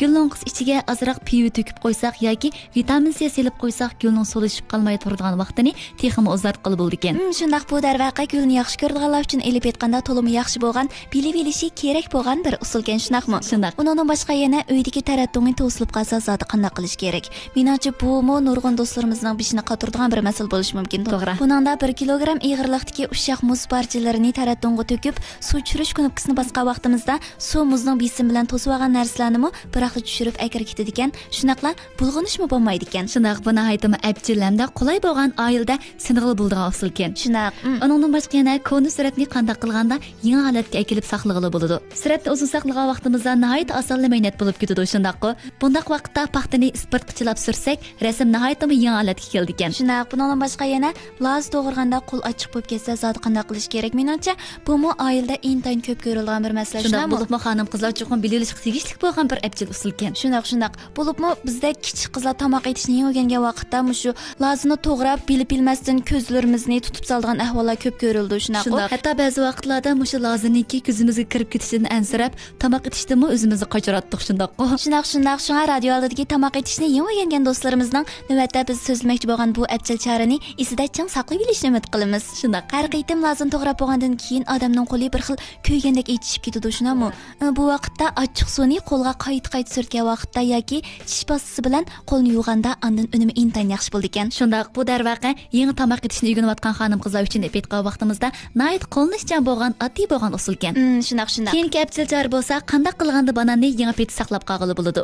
گۈل لوڭقىسى ئىچىگە ئازراق پىۋا تۆكۈپ قويساق ياكى ۋىتامىن سى سېلىپ قويساق، گۈلنىڭ سولىشىپ قالماي تۇرىدىغان ۋاقتىنى تېخىمۇ ئۇزارتقىلى بولىدىكەن. ھىم، شۇنداق، بۇ دەرۋەقە گۈلنى ياخشى كۆرىدىغانلار ئۈچۈن ئېلىپ ئېيتقاندا تولىمۇ ياخشى بولغان، بىلىۋېلىشى كېرەك بولغان بىر ئۇسۇلكەن، شۇنداقمۇ؟ شۇنداق. ئۇنىڭدىن باشقا يەنە ئۆيدىكى تەرەت دۇڭى توسۇلۇپ قالسا زادى قانداق قىلىش كېرەك؟ مېنىڭچە، بۇمۇ نۇرغۇن دوستلىرىمىزنىڭ بېشىنى قاتۇرىدىغان بىر مەسىلە بولۇشى مۇمكىن. توغرا. بۇنىڭدا بىر كىلوگرام ئېغىرلىقتىكى ئۇششاق مۇز پارچىلىرىنى تەرەت دۇڭغا تۆكۈپ، سۇ چۈشۈرۈش كۇنۇپكىسىنى باسقان ۋاقتىمىزدا، سۇ مۇزنىڭ بېسىمى بىلەن توسۇۋالغان نەرسىلەرنىمۇ بىراقلا چۈشۈرۈپ ئەكىرىپ كېتىدىكەن. شۇنداقلا بۇلغىنىشمۇ بولمايدىكەن. شۇنداق، بۇ ناھايىتىمۇ ئەپچىل ھەمدە قولاي بولغان ئائىلىدە سىنىغىلى بولىدىغان ئۇسۇلكەن. شۇنداق. ئۇنىڭدىن باشقا يەنە كونا سۈرەتنى قانداق قىلغاندا يېڭى ھالەتكە ئەكېلىپ ساقلىغىلى بولىدۇ؟ سۈرەتنى ئۇزۇن ساقلىغان ۋاقتىمىزدا ناھايىتى ئاسانلا مەينەت بولۇپ كېتىدۇ، شۇنداققۇ؟ بۇنداق ۋاقىتتا پاختىنى ئىسپىرتقا چىلاپ سۈرسەك، رەسىم ناھايىتىمۇ يېڭى ھالەتكە كېلىدىكەن. شۇنداق، بۇنىڭدىن باشقا يەنە لازا توغرىغاندا قول ئاچچىق بولۇپ كەتسە، زادى قانداق قىلىش كېرەك؟ مېنىڭچە، بۇمۇ ئائىلىدە ئىنتايىن كۆپ كۆرۈلىدىغان بىر مەسىلە، شۇنداق شۇنداقمۇ؟ بولۇپمۇ خانىم-قىزلار چوقۇم بىلىۋېلىشقا تېگىشلىك بولغان بىر ئەپچىل ئۇسۇلكەن. شۇنداق، شۇنداق. بولۇپمۇ بىزدەك كىچىك قىزلار تاماق ئېتىشنى يېڭى ئۆگەنگەن ۋاقىتتا مۇشۇ لازىنى توغراپ، بىلىپ بىلمەستىن كۆزلىرىمىزنى تۇتۇپ سالىدىغان ئەھۋاللار كۆپ كۆرۈلىدۇ، شۇنداققۇ؟ شۇنداق. ھەتتا بەزى ۋاقىتلاردا مۇشۇ لازىنىڭكى كۆزىمىزگە كىرىپ كېتىشىدىن ئەنسىرەپ، تاماق ئېتىشتىنمۇ ئۆزىمىزنى قاچۇراتتۇق، شۇنداققۇ؟ شۇنداق، شۇنداق. شۇڭا رادىيو ئالدىدىكى تاماق ئېتىشنى يېڭى ئۆگەنگەن دوستلىرىمىزنىڭ نۆۋەتتە بىز سۆزلىمەكچى بولغان بۇ ئەپچىل چارىنى ئېسىدە چىڭ ساقلىۋېلىشىنى ئۈمىد قىلىمىز. شۇنداق. ھەر قېتىم لازىنى توغراپ بولغاندىن كېيىن ئادەمنىڭ قولى بىر خىل كۆيگەندەك ئېچىشىپ كېتىدۇ، شۇنداقمۇ؟ بۇ ۋاقىتتا ئاچچىق سۇنى قولغا قايتا-قايتا سۈرتكەن ۋاقىتتا ياكى چىش پاستىسى بىلەن قولنى يۇغاندا ئاندىن ئۈنۈمى ئىنتايىن ياخشى بولىدىكەن. شۇنداق، بۇ دەرۋەقە يېڭى تاماق ئېتىشنى ئۆگىنىۋاتقان خانىم-قىزلار ئۈچۈن ئېلىپ ئېيتقان ۋاقتىمىزدا ناھايىتى قوللىنىشچان بولغان، ئاددىي بولغان ئۇسۇلكەن. ئىم، شۇنداق، شۇنداق. كېيىنكى ئەپچىل چارە بولسا، قانداق قىلغاندا باناننى يېڭى پېتى ساقلاپ قالغىلى بولىدۇ؟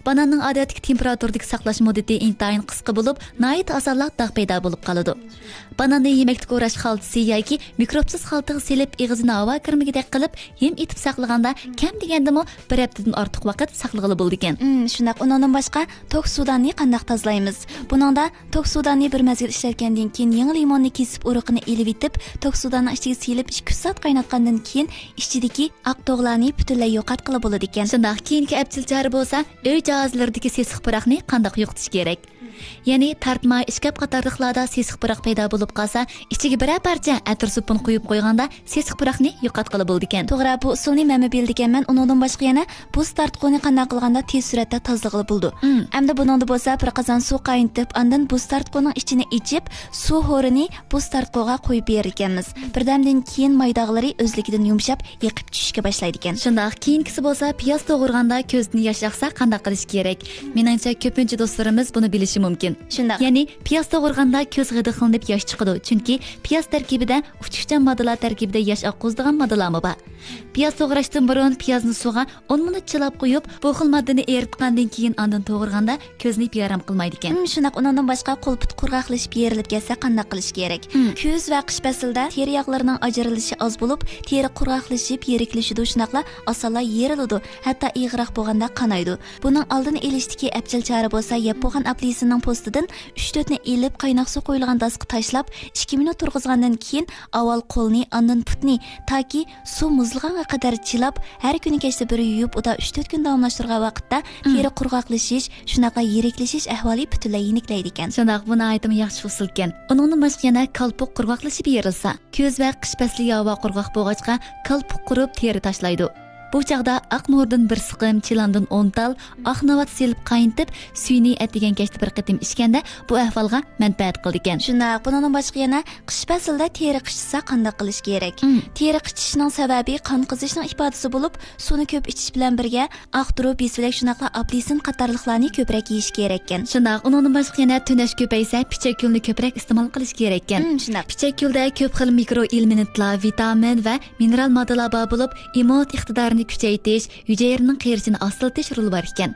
باناننىڭ ئادەتتىكى تېمپېراتۇرىدىكى ساقلاش مۇددىتى ئىنتايىن قىسقا بولۇپ، ناھايىتى ئاسانلا داغ پەيدا بولۇپ قالىدۇ. باناننى يېمەكلىك ئوراش خالتىسى ياكى مىكروبسىز خالتىغا سېلىپ، ئېغىزىنى ھاۋا كىرمىگۈدەك قىلىپ، ھىم ئېتىپ ساقلىغاندا، كەم دېگەندىمۇ بىر ھەپتىدىن ئارتۇق ۋاقىت ساقلىغىلى بولىدىكەن. ئىم، شۇنداق. ئۇنىڭدىن باشقا، توك سۇداننى قانداق تازىلايمىز؟ بۇنىڭدا توك سۇداننى بىر مەزگىل ئىشلەتكەندىن كېيىن، يېڭى لىموننى كېسىپ، ئۇرۇقىنى ئېلىۋېتىپ، توك سۇداننىڭ ئىچىگە سېلىپ، ئىككى، ئۈچ سائەت قايناتقاندىن كېيىن، ئىچىدىكى ئاق دوغىلارنى پۈتۈنلەي يوقاتقىلى بولىدىكەن. شۇنداق، كېيىنكى ئەپچىل چارە بولسا، ئۆي جاھازلىرىدىكى سېسىق پۇراقنى قانداق يوقىتىش كېرەك؟ يەنى تارتما، ئىشكاپ قاتارلىقلاردا سېسىق پۇراق پەيدا بولۇپ قالسا، ئىچىگە بىرەر پارچە ئەتىر سوپۇن قويۇپ قويغاندا، سېسىق پۇراقنى يوقاتقىلى بولىدىكەن. توغرا، بۇ ئۇسۇلنى مەنمۇ بىلىدىكەنمەن. ئۇنىڭدىن باشقا يەنە بۇز تارتقۇنى قانداق قىلغاندا تېز سۈرئەتتە تازىلىغىلى بولىدۇ؟ مم. ئەمدى بۇنىڭدا بولسا بىر قازان سۇ قاينىتىپ، ئاندىن بۇز تارتقۇنىڭ ئىچىنى ئېچىپ، سۇ ھورىنى بۇز تارتقۇغا قويۇپ بېرىدىكەنمىز. بىردەمدىن كېيىن ماي داغلىرى ئۆزلۈكىدىن يۇمشاپ، ئېقىپ چۈشۈشكە باشلايدىكەن. شۇنداق، كېيىنكىسى بولسا پىياز توغرىغاندا كۆزدىن ياش ئاقسا قانداق قىلىش كېرەك؟ مېنىڭچە، كۆپىنچە دوستلىرىمىز بۇنى بىلىشى مۇمكىن. شۇنداق. يەنى پىياز توغرىغاندا كۆز غىدىقلىنىپ ياش چىقىدۇ، چۈنكى پىياز تەركىبىدە ئۇچقۇچان ماددىلار تەركىبىدە ياش ئاققۇزىدىغان ماددىلارمۇ بار. پىياز توغراشتىن بۇرۇن پىيازنى سۇغا ئون مىنۇت چىلاپ قويۇپ، بۇ خىل ماددىنى ئېرىتقاندىن كېيىن ئاندىن توغرىغاندا كۆزنى بىئارام قىلمايدىكەن. ھىم، شۇنداق. ئۇنىڭدىن باشقا قول پۇت قۇرغاقلىشىپ يېرىلىپ كەتسە قانداق قىلىش كېرەك؟ ھىم. كۈز ۋە قىش پەسلىدە تېرە ياغلىرىنىڭ ئاجرىلىشى ئاز بولۇپ، تېرە قۇرغاقلىشىپ يىرىكلىشىدۇ، شۇنداقلا ئاسانلا يېرىلىدۇ، ھەتتا ئېغىرراق بولغاندا قانايدۇ. بۇنىڭ ئالدىنى ئېلىشتىكى ئەپچىل چارە بولسا، يەپ بولغان ئاپېلسىننىڭ پوستىدىن ئۈچ تۆتنى ئېلىپ، قايناق سۇ قۇيۇلغان داسقا تاشلاپ، ئىككى مىنۇت تۇرغۇزغاندىن كېيىن، ئاۋۋال قولنى، ئاندىن پۇتنى، تاكى سۇ مۇزلىغانغا قەدەر چىلاپ، ھەر كۈنى كەچتە بىر يۇيۇپ، ئۇدا ئۈچ تۆت كۈن داۋاملاشتۇرغان ۋاقىتتا، مم. تېرە قۇرغاقلىشىش، شۇنداقلا يىرىكلىشىش ئەھۋالى پۈتۈنلەي يېنىكلەيدىكەن. شۇنداق، بۇ ناھايىتىمۇ ياخشى ئۇسۇلكەن. ئۇنىڭدىن باشقا يەنە كالپۇك قۇرغاقلىشىپ يېرىلسا، كۈز ۋە قىش پەسلى ھاۋا قۇرغاق بولغاچقا، كالپۇك قۇرۇپ، تېرە تاشلايدۇ. بۇ چاغدا ئاق نوردىن بىر سىقىم، چىلاندىن ئون تال، ئاق ناۋات سېلىپ قاينىتىپ، سۈيىنى ئەتىگەن كەچتە بىر قېتىم ئىچكەندە، بۇ ئەھۋالغا مەنپەئەت قىلىدىكەن. شۇنداق، بۇنىڭدىن باشقا يەنە قىش پەسلىدە تېرە قىچىشسا قانداق قىلىش كېرەك؟ مم. تېرە قىچىشىشنىڭ سەۋەبى قان قىزىشنىڭ ئىپادىسى بولۇپ، سۇنى كۆپ ئىچىش بىلەن بىرگە، ئاق تۇرۇپ، يېسىۋەك، شۇنداقلا ئاپېلسىن قاتارلىقلارنى كۆپرەك يېيىش كېرەككەن. شۇنداق، ئۇنىڭدىن باشقا يەنە تۈنەش كۆپەيسە، پىچەك گۈلنى كۆپرەك ئىستېمال قىلىش كېرەككەن. مم، شۇنداق. پىچەك گۈلدە كۆپ خىل مىكرو ئېلېمېنتلار، ۋىتامىن ۋە مىنېرال ماددىلار بار بولۇپ، ئىممۇنىتېت ئىقتىدارىنى كۈچەيتىش، ھۈجەيرىنىڭ قېرىشىنى ئاستىلىتىش رولى بار ئىكەن.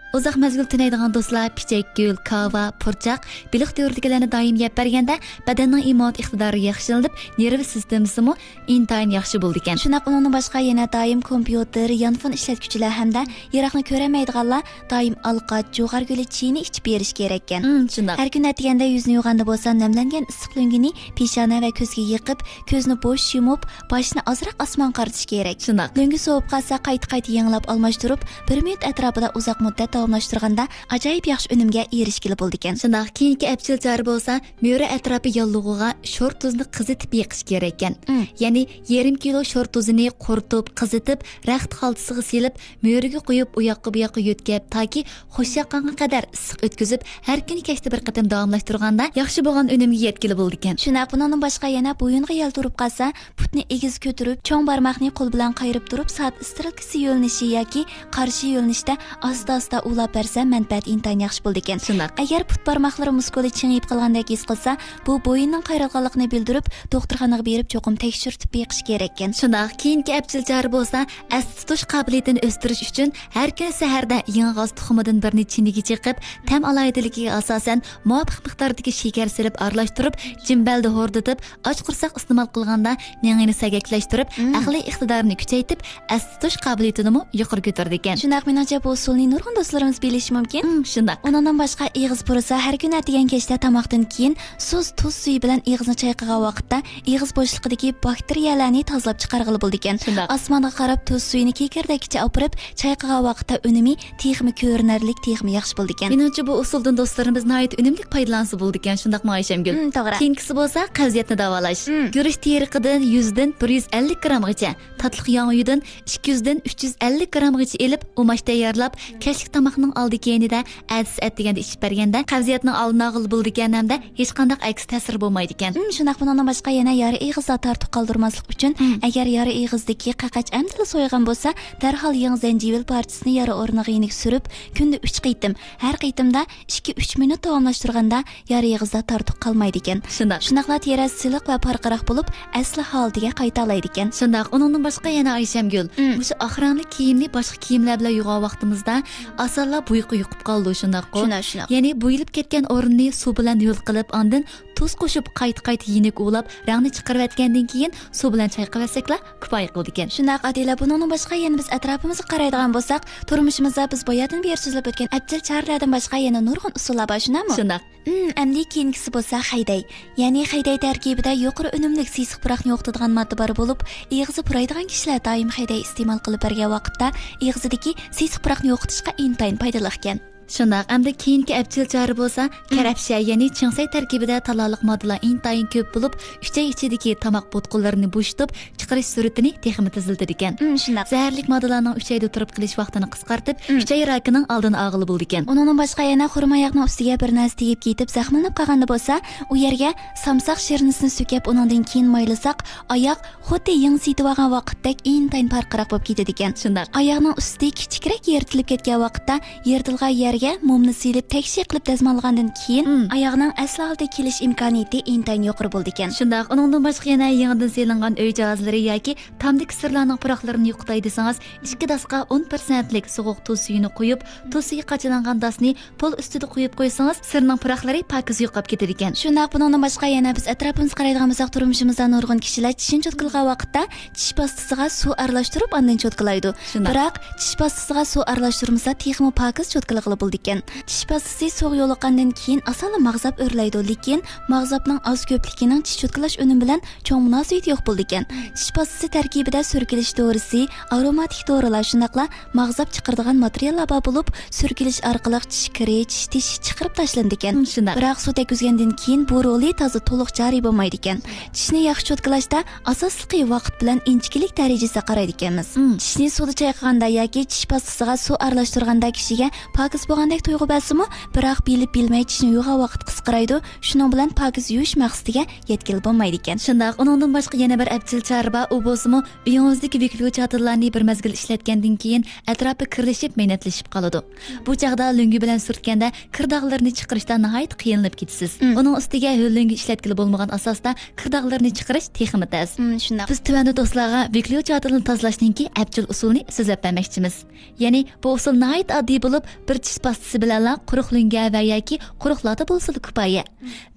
ئۇزاق مەزگىل تۈنەيدىغان دوستلار پىچەك گۈل، كاۋا، پۇرچاق، بېلىق تۈرىدىكىلەرنى دائىم يەپ بەرگەندە، بەدەننىڭ ئىممۇنىتېت ئىقتىدارى ياخشىلىنىپ، نېرۋا سىستېمىسىمۇ ئىنتايىن ياخشى بولىدىكەن. شۇنداق، ئۇنىڭدىن باشقا يەنە دائىم كومپيۇتېر، يانفون ئىشلەتكۈچىلەر ھەمدە يىراقنى كۆرەلمەيدىغانلار دائىم ئالقاچ، جۇغار گۈلى چېيىنى ئىچىپ بېرىش كېرەككەن. مم، شۇنداق. ھەر كۈنى ئەتىگەندە يۈزنى يۇغاندا بولسا، نەملەنگەن ئىسسىق لۆڭگىنى پېشانە ۋە كۆزگە يېقىپ، كۆزنى بوش يۇمۇپ، باشنى ئازراق ئاسمانغا قارىتىش كېرەك. شۇنداق. لۆڭگە سوۋۇپ قالسا، قايتا-قايتا يېڭىلاپ ئالماشتۇرۇپ، بىر مىنۇت ئەتراپىدا ئۇزاق مۇددەت داۋاملاشتۇرغاندا، ئاجايىپ ياخشى ئۈنۈمگە ئېرىشكىلى بولىدىكەن. شۇنداق، كېيىنكى ئەپچىل چارە بولسا، مۈرە ئەتراپى ياللۇغىغا شور تۇزنى قىزىتىپ يېقىش كېرەككەن. مم. يەنى يېرىم كىلو شور تۇزىنى قۇرۇتۇپ، قىزىتىپ، رەخت خالتىسىغا سېلىپ، مۈرىگە قويۇپ، ئۇياققا بۇياققا يۆتكەپ، تاكى خۇش ياققانغا قەدەر ئىسسىق ئۆتكۈزۈپ، ھەر كۈنى كەچتە بىر قېتىم داۋاملاشتۇرغاندا، ياخشى بولغان ئۈنۈمگە يەتكىلى بولىدىكەن. شۇنداق، بۇنىڭدىن باشقا يەنە بويۇنغا يەل تۇرۇپ قالسا، پۇتنى ئېگىز كۆتۈرۈپ، چوڭ بارماقنى قول بىلەن قايرىپ تۇرۇپ، سائەت ئىسترېلكىسى يۆنىلىشى ياكى قارشى يۆنىلىشتە ئاستا-ئاستا ئۇۋىلاپ بەرسە، مەنپەئەتى ئىنتايىن ياخشى بولىدىكەن. شۇنداق. ئەگەر پۇت بارماقلىرى مۇسكۇلى چىڭىيىپ قالغاندەك ھېس قىلسا، بۇ بويۇننىڭ قايرىلغانلىقىنى بىلدۈرۈپ، دوختۇرخانىغا بېرىپ چوقۇم تەكشۈرتۈپ بېقىش كېرەككەن. شۇنداق، كېيىنكى ئەپچىل چارە بولسا، ئەستە تۇتۇش قابىلىيىتىنى ئۆستۈرۈش ئۈچۈن ھەر كۈنى سەھەردە يېڭى غاز تۇخۇمىدىن بىرنى چىنىگە چېقىپ، تەم ئالاھىدىلىكىگە ئاساسەن مۇۋاپىق مىقداردىكى شېكەر سېلىپ ئارىلاشتۇرۇپ، جىمبەلدە ھوردىتىپ، ئاچ قۇرساق ئىستېمال قىلغاندا، مېڭىنى سەگەكلەشتۈرۈپ، مم. ئەقلىي ئىقتىدارىنى كۈچەيتىپ، ئەستە تۇتۇش قابىلىيىتىنىمۇ يۇقىرى كۆتۈرىدىكەن. شۇنداق، مېنىڭچە بۇ ئۇسۇلنى نۇرغۇن دوستلىرىمىز بىلىشى مۇمكىن. مم، شۇنداق. ئۇنىڭدىن باشقا ئېغىز پۇرىسا، ھەر كۈنى ئەتىگەن كەچتە تاماقتىن كېيىن سۇس تۇز سۈيى بىلەن ئېغىزنى چايقىغان ۋاقىتتا، ئېغىز بوشلۇقىدىكى باكتېرىيەلەرنى تازىلاپ چىقارغىلى بولىدىكەن. شۇنداق. ئاسمانغا قاراپ تۇز سۈيىنى كېكىردەككىچە ئاپىرىپ چايقىغان ۋاقىتتا، ئۈنۈمى تېخىمۇ كۆرۈنەرلىك، تېخىمۇ ياخشى بولىدىكەن. مېنىڭچە، بۇ ئۇسۇلدىن دوستلىرىمىز ناھايىتى ئۈنۈملۈك پايدىلانسا بولىدىكەن، شۇنداقمۇ ئايشەمگۈل؟ مم، توغرا. كېيىنكىسى بولسا قەۋزىيەتنى داۋالاش. مم. گۈرۈچ تېرىقىدىن يۈزدىن بىر يۈز ئەللىك گرامغىچە، تاتلىق ياڭيۇدىن ئىككى يۈزدىن ئۈچ يۈز ئەللىك گرامغىچە ئېلىپ، ئۇماچ تەييارلاپ، كەچلىك تاماقنىڭ ئالدى كەينىدە ئەتىسى ئەتىگەندە ئىچىپ بەرگەندە، قەۋزىيەتنىڭ ئالدىنى ئالغىلى بولىدىكەن ھەمدە ھېچقانداق ئەكس تەسىرى بولمايدىكەن. مم، شۇنداق، بۇنىڭدىن باشقا يەنە يارا ئېغىزدا تارتۇق قالدۇرماسلىق ئۈچۈن، مم. ئەگەر يارا ئېغىزدىكى قەقەچ ئەمدىلا سويغان بولسا، دەرھال يېڭى زەنجىۋىل پارچىسىنى يارا ئورنىغا يېنىك سۈرۈپ، كۈندە ئۈچ قېتىم، ھەر قېتىمدا ئىككى ئۈچ مىنۇت داۋاملاشتۇرغاندا، يارا ئېغىزدا تارتۇق قالمايدىكەن. شۇنداق. شۇنداقلا تېرە سىلىق ۋە پارقىراق بولۇپ، ئەسلى ھالىتىگە قايتالايدىكەن. شۇنداق. ئۇنىڭدىن باشقا يەنە ئايشەمگۈل، مم. مۇشۇ ئاق رەڭلىك كىيىمنى باشقا كىيىملەر بىلەن يۇغان ۋاقتىمىزدا، ئاسانلا بۇيقا يۇقۇپ قالىدۇ، شۇنداققۇ؟ شۇنداق، شۇنداق. يەنى بۇيۇلۇپ كەتكەن ئورۇننى سۇ بىلەن ھۆل قىلىپ، ئاندىن تۇز قوشۇپ، قايتا-قايتا يېنىك ئۇۋىلاپ، رەڭنى چىقىرىۋەتكەندىن كېيىن، سۇ بىلەن چايقىۋەتسەكلا كۇپايە قىلىدىكەن. شۇنداق، ئادىلە، بۇنىڭدىن باشقا يەنە بىز ئەتراپىمىزغا قارايدىغان بولساق، تۇرمۇشىمىزدا بىز باياتىن بېرى سۆزلەپ ئۆتكەن ئەپچىل چارىلەردىن باشقا يەنە نۇرغۇن ئۇسۇللار بار، شۇنداقمۇ؟ شۇنداق. مم، ئەمدى كېيىنكىسى بولسا خەيدەي. يەنى خەيدەي تەركىبىدە يۇقىرى ئۈنۈملۈك سېسىق پۇراقنى يوقىتىدىغان ماددا بار بولۇپ، ئېغىزى پۇرايدىغان كىشىلەر دائىم خەيدەي ئىستېمال قىلىپ بەرگەن ۋاقىتتا، ئېغىزىدىكى سېسىق پۇراقنى يوقىتىشقا ئىنتايىن پايدىلىقكەن. شۇنداق، ئەمدى كېيىنكى ئەپچىل چارە بولسا، مم. كەرەپشە، يەنى چىڭسەي تەركىبىدە تالالىق ماددىلار ئىنتايىن كۆپ بولۇپ، ئۈچەي ئىچىدىكى تاماق بوتقىلىرىنى بوشىتىپ، چىقىرىش سۈرئىتىنى تېخىمۇ تېزلىتىدىكەن. مم، شۇنداق. زەھەرلىك ماددىلارنىڭ ئۈچەيدە تۇرۇپ قېلىش ۋاقتىنى قىسقارتىپ، مم. ئۈچەي راكىنىڭ ئالدىنى ئالغىلى بولىدىكەن. ئۇنىڭدىن باشقا يەنە خۇرما ياغنىڭ ئۈستىگە بىر نەرسە تېگىپ كېتىپ زەخىملىنىپ قالغاندا بولسا، ئۇ يەرگە سامساق شىرنىسىنى سۈركەپ، ئۇنىڭدىن كېيىن مايلىساق، ئاياق خۇددى يېڭى سېتىۋالغان ۋاقىتتەك ئىنتايىن پارقىراق بولۇپ كېتىدىكەن. شۇنداق. ئاياغنىڭ ئۈستى كىچىكرەك يىرتىلىپ كەتكەن ۋاقىتتا، يىرتىلغان يەرگە مومنى سېلىپ، تەكشى قىلىپ دەزماللىغاندىن كېيىن، مم. ئاياغنىڭ ئەسلى ھالىتىگە كېلىش ئىمكانىيىتى ئىنتايىن يۇقىرى بولىدىكەن. شۇنداق. ئۇنىڭدىن باشقا يەنە يېڭىدىن سېلىنغان ئۆي جاھازلىرى ياكى تامدىكى سىرلارنىڭ پۇراقلىرىنى يوقىتاي دېسىڭىز، ئىككى داسقا ئون پىرسەنتلىك سوغۇق تۇز سۈيىنى قۇيۇپ، تۇز سۈيى قاچىلانغان داسنى پول ئۈستىدە قويۇپ قويسىڭىز، سىرنىڭ پۇراقلىرى پاكىز يوقاپ كېتىدىكەن. شۇنداق، بۇنىڭدىن باشقا يەنە بىز ئەتراپىمىزغا قارايدىغان بولساق، تۇرمۇشىمىزدا نۇرغۇن كىشىلەر چىشىنى چوتكىلىغان ۋاقىتتا چىش پاستىسىغا سۇ ئارىلاشتۇرۇپ، ئاندىن چوتكىلايدۇ. شۇنداق. بىراق، چىش پاستىسىغا سۇ ئارىلاشتۇرمىسا، تېخىمۇ پاكىز چوتكىلىغىلى بولىدۇ. بولىدىكەن. چىش پاستىسى سۇغا يولۇققاندىن كېيىن ئاسانلا ماغزاپ ئۆرلەيدۇ، لېكىن ماغزاپنىڭ ئاز كۆپلۈكىنىڭ چىش چوتكىلاش ئۈنۈمى بىلەن چوڭ مۇناسىۋىتى يوق بولىدىكەن. چىش پاستىسى تەركىبىدە سۈركىلىش دورىسى، ئاروماتىك دورىلار، شۇنداقلا ماغزاپ چىقىرىدىغان ماتېرىياللار بار بولۇپ، سۈركىلىش ئارقىلىق چىش كىرى، چىش تېشى چىقىرىپ تاشلىنىدىكەن. مم، شۇنداق. بىراق سۇ تەگكۈزگەندىن كېيىن بۇ رولى تازا تولۇق جارى بولمايدىكەن. چىشنى ياخشى چوتكىلاشتا ئاساسلىقى ۋاقىت بىلەن ئىنچىكىلىك دەرىجىسىگە قارايدىكەنمىز. مم. چىشنى سۇدا چايقىغاندا ياكى چىش پاستىسىغا سۇ ئارىلاشتۇرغاندا كىشىگە پاكىز بولغاندەك تۇيغۇ بەرسىمۇ، بىراق بىلىپ بىلمەي چىشنى يۇغان ۋاقىت قىسقىرايدۇ، شۇنىڭ بىلەن پاكىز يۇيۇش مەقسىتىگە يەتكىلى بولمايدىكەن. شۇنداق، ئۇنىڭدىن باشقا يەنە بىر ئەپچىل چارە بار، ئۇ بولسىمۇ ئۆيىڭىزدىكى ۋىكليۇچاتىنلارنى بىر مەزگىل ئىشلەتكەندىن كېيىن ئەتراپى كىرلىشىپ، مەينەتلىشىپ قالىدۇ. بۇ چاغدا لۆڭگە بىلەن سۈرتكەندە كىر داغلىرىنى چىقىرىشتا ناھايىتى قىينىلىپ كېتىسىز. مم. ئۇنىڭ ئۈستىگە ھۆل لۆڭگە ئىشلەتكىلى بولمىغان ئاساستا كىر داغلىرىنى چىقىرىش تېخىمۇ تەس. مم، شۇنداق. بىز تۆۋەندە دوستلارغا ۋىكليۇچاتىننى تازىلاشنىڭكى ئەپچىل ئۇسۇلىنى سۆزلەپ بەرمەكچىمىز. يەنى بۇ ئۇسۇل ناھايىتى ئاددىي بولۇپ، بىر چىش پاستىسى بىلەنلا قۇرۇق لۆڭگە ۋە ياكى قۇرۇق لاتا بولسىلا كۇپايە.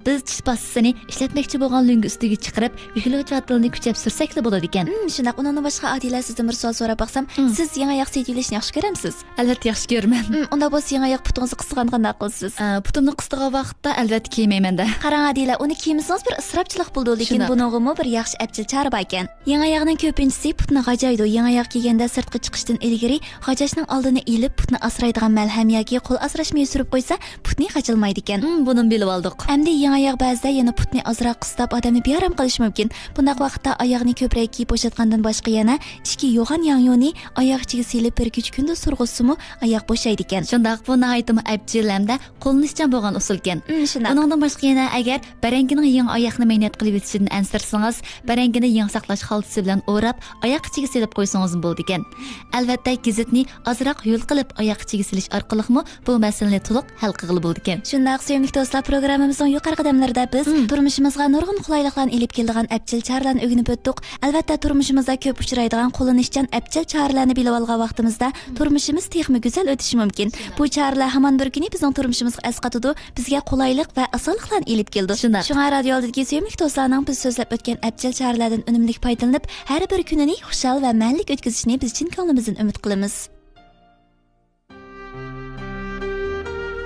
بىز چىش پاستىسىنى ئىشلەتمەكچى بولغان لۆڭگە ئۈستىگە چىقىرىپ، ۋىكليۇچاتىننى كۈچەپ سۈرسەكلا بولىدىكەن. مم، شۇنداق. ئۇنىڭدىن باشقا، ئادىلە، سىزدىن بىر سوئال سوراپ باقسام، مم. سىز يېڭى ئاياق سېتىۋېلىشنى ياخشى كۆرەمسىز؟ ئەلۋەتتە ياخشى كۆرىمەن. مم، ئۇنداق بولسا يېڭى ئاياق پۇتىڭىزنى قىستىغاندا قانداق قىلىسىز؟ ئە، پۇتۇمنى قىستىغان ۋاقىتتا ئەلۋەتتە كىيمەيمەن-دە. قاراڭ، ئادىلە، ئۇنى كىيمىسىڭىز بىر ئىسراپچىلىق بولىدۇ، لېكىن شۇنداق. بۇنىڭغىمۇ بىر ياخشى ئەپچىل چارە باركەن. يېڭى ئاياغنىڭ كۆپىنچىسى پۇتنى غاجايدۇ. يېڭى ئاياغ كىيگەندە سىرتقا چىقىشتىن ئىلگىرى غاجاشنىڭ ئالدىنى ئېلىپ، پۇتنى ئاسرايدىغان مەلھەم ياكى قول ئاسراش مېيى سۈرۈپ قويسا، پۇتنى غاجىلىمايدىكەن. مم، بۇنىمۇ بىلىۋالدۇق. ئەمدى يېڭى ئاياغ بەزىدە يەنە پۇتنى ئازراق قىستاپ، ئادەمنى بىئارام قىلىشى مۇمكىن. بۇنداق ۋاقىتتا ئاياغنى كۆپرەك كىيىپ بوشاتقاندىن باشقا يەنە ئىچكى يوغان ياڭيۇنى ئاياغ ئىچىگە سېلىپ، بىر كېچە كۈندۈز تۇرغۇزسىمۇ، ئاياغ بوشايدىكەن. شۇنداق، بۇ ناھايىتىمۇ ئەپچىل ھەمدە قوللىنىشچان بولغان ئۇسۇلكەن. مم، شۇنداق. ئۇنىڭدىن باشقا يەنە ئەگەر بەرەڭگىنىڭ يېڭى ئاياغنى مەينەت قىلىۋېتىشىدىن ئەنسىرىسىڭىز، بەرەڭگىنى يېڭى ساقلاش خالتىسى بىلەن ئوراپ، ئاياق ئىچىگە سېلىپ قويسىڭىزمۇ بولىدىكەن. ئەلۋەتتە، گېزىتنى ئازراق ھۆل قىلىپ ئاياق ئىچىگە سېلىش ئارقىلىقمۇ بۇ مەسىلىنى تولۇق ھەل قىلغىلى بولىدىكەن. شۇنداق، سۆيۈملۈك دوستلار، پروگراممىمىزنىڭ يۇقىرىقى قەدەملىرىدە بىز مم. تۇرمۇشىمىزغا نۇرغۇن قولايلىقلارنى ئېلىپ كېلىدىغان ئەپچىل چارىلەرنى ئۆگىنىپ ئۆتتۇق. ئەلۋەتتە، تۇرمۇشىمىزدا كۆپ ئۇچرايدىغان قوللىنىشچان ئەپچىل چارىلەرنى بىلىۋالغان ۋاقتىمىزدا مم. تۇرمۇشىمىز تېخىمۇ گۈزەل ئۆتۈشى مۇمكىن. بۇ چارىلەر ھامان بىر كۈنى بىزنىڭ تۇرمۇشىمىزغا ئەسقاتىدۇ، بىزگە قولايلىق ۋە ئاسانلىقلارنى ئېلىپ كېلىدۇ. شۇنداق. شۇڭا رادىيو ئالدىدىكى سۆيۈملۈك دوستلارنىڭ بىز سۆزلەپ ئۆتكەن ئەپچىل چارىلەردىن ئۈنۈملۈك پايدىلىنىپ، ھەر بىر كۈنىنى خۇشال ۋە مەنىلىك ئۆتكۈزۈشىنى بىز چىن كۆڭلىمىزدىن ئۈمىد قىلىمىز.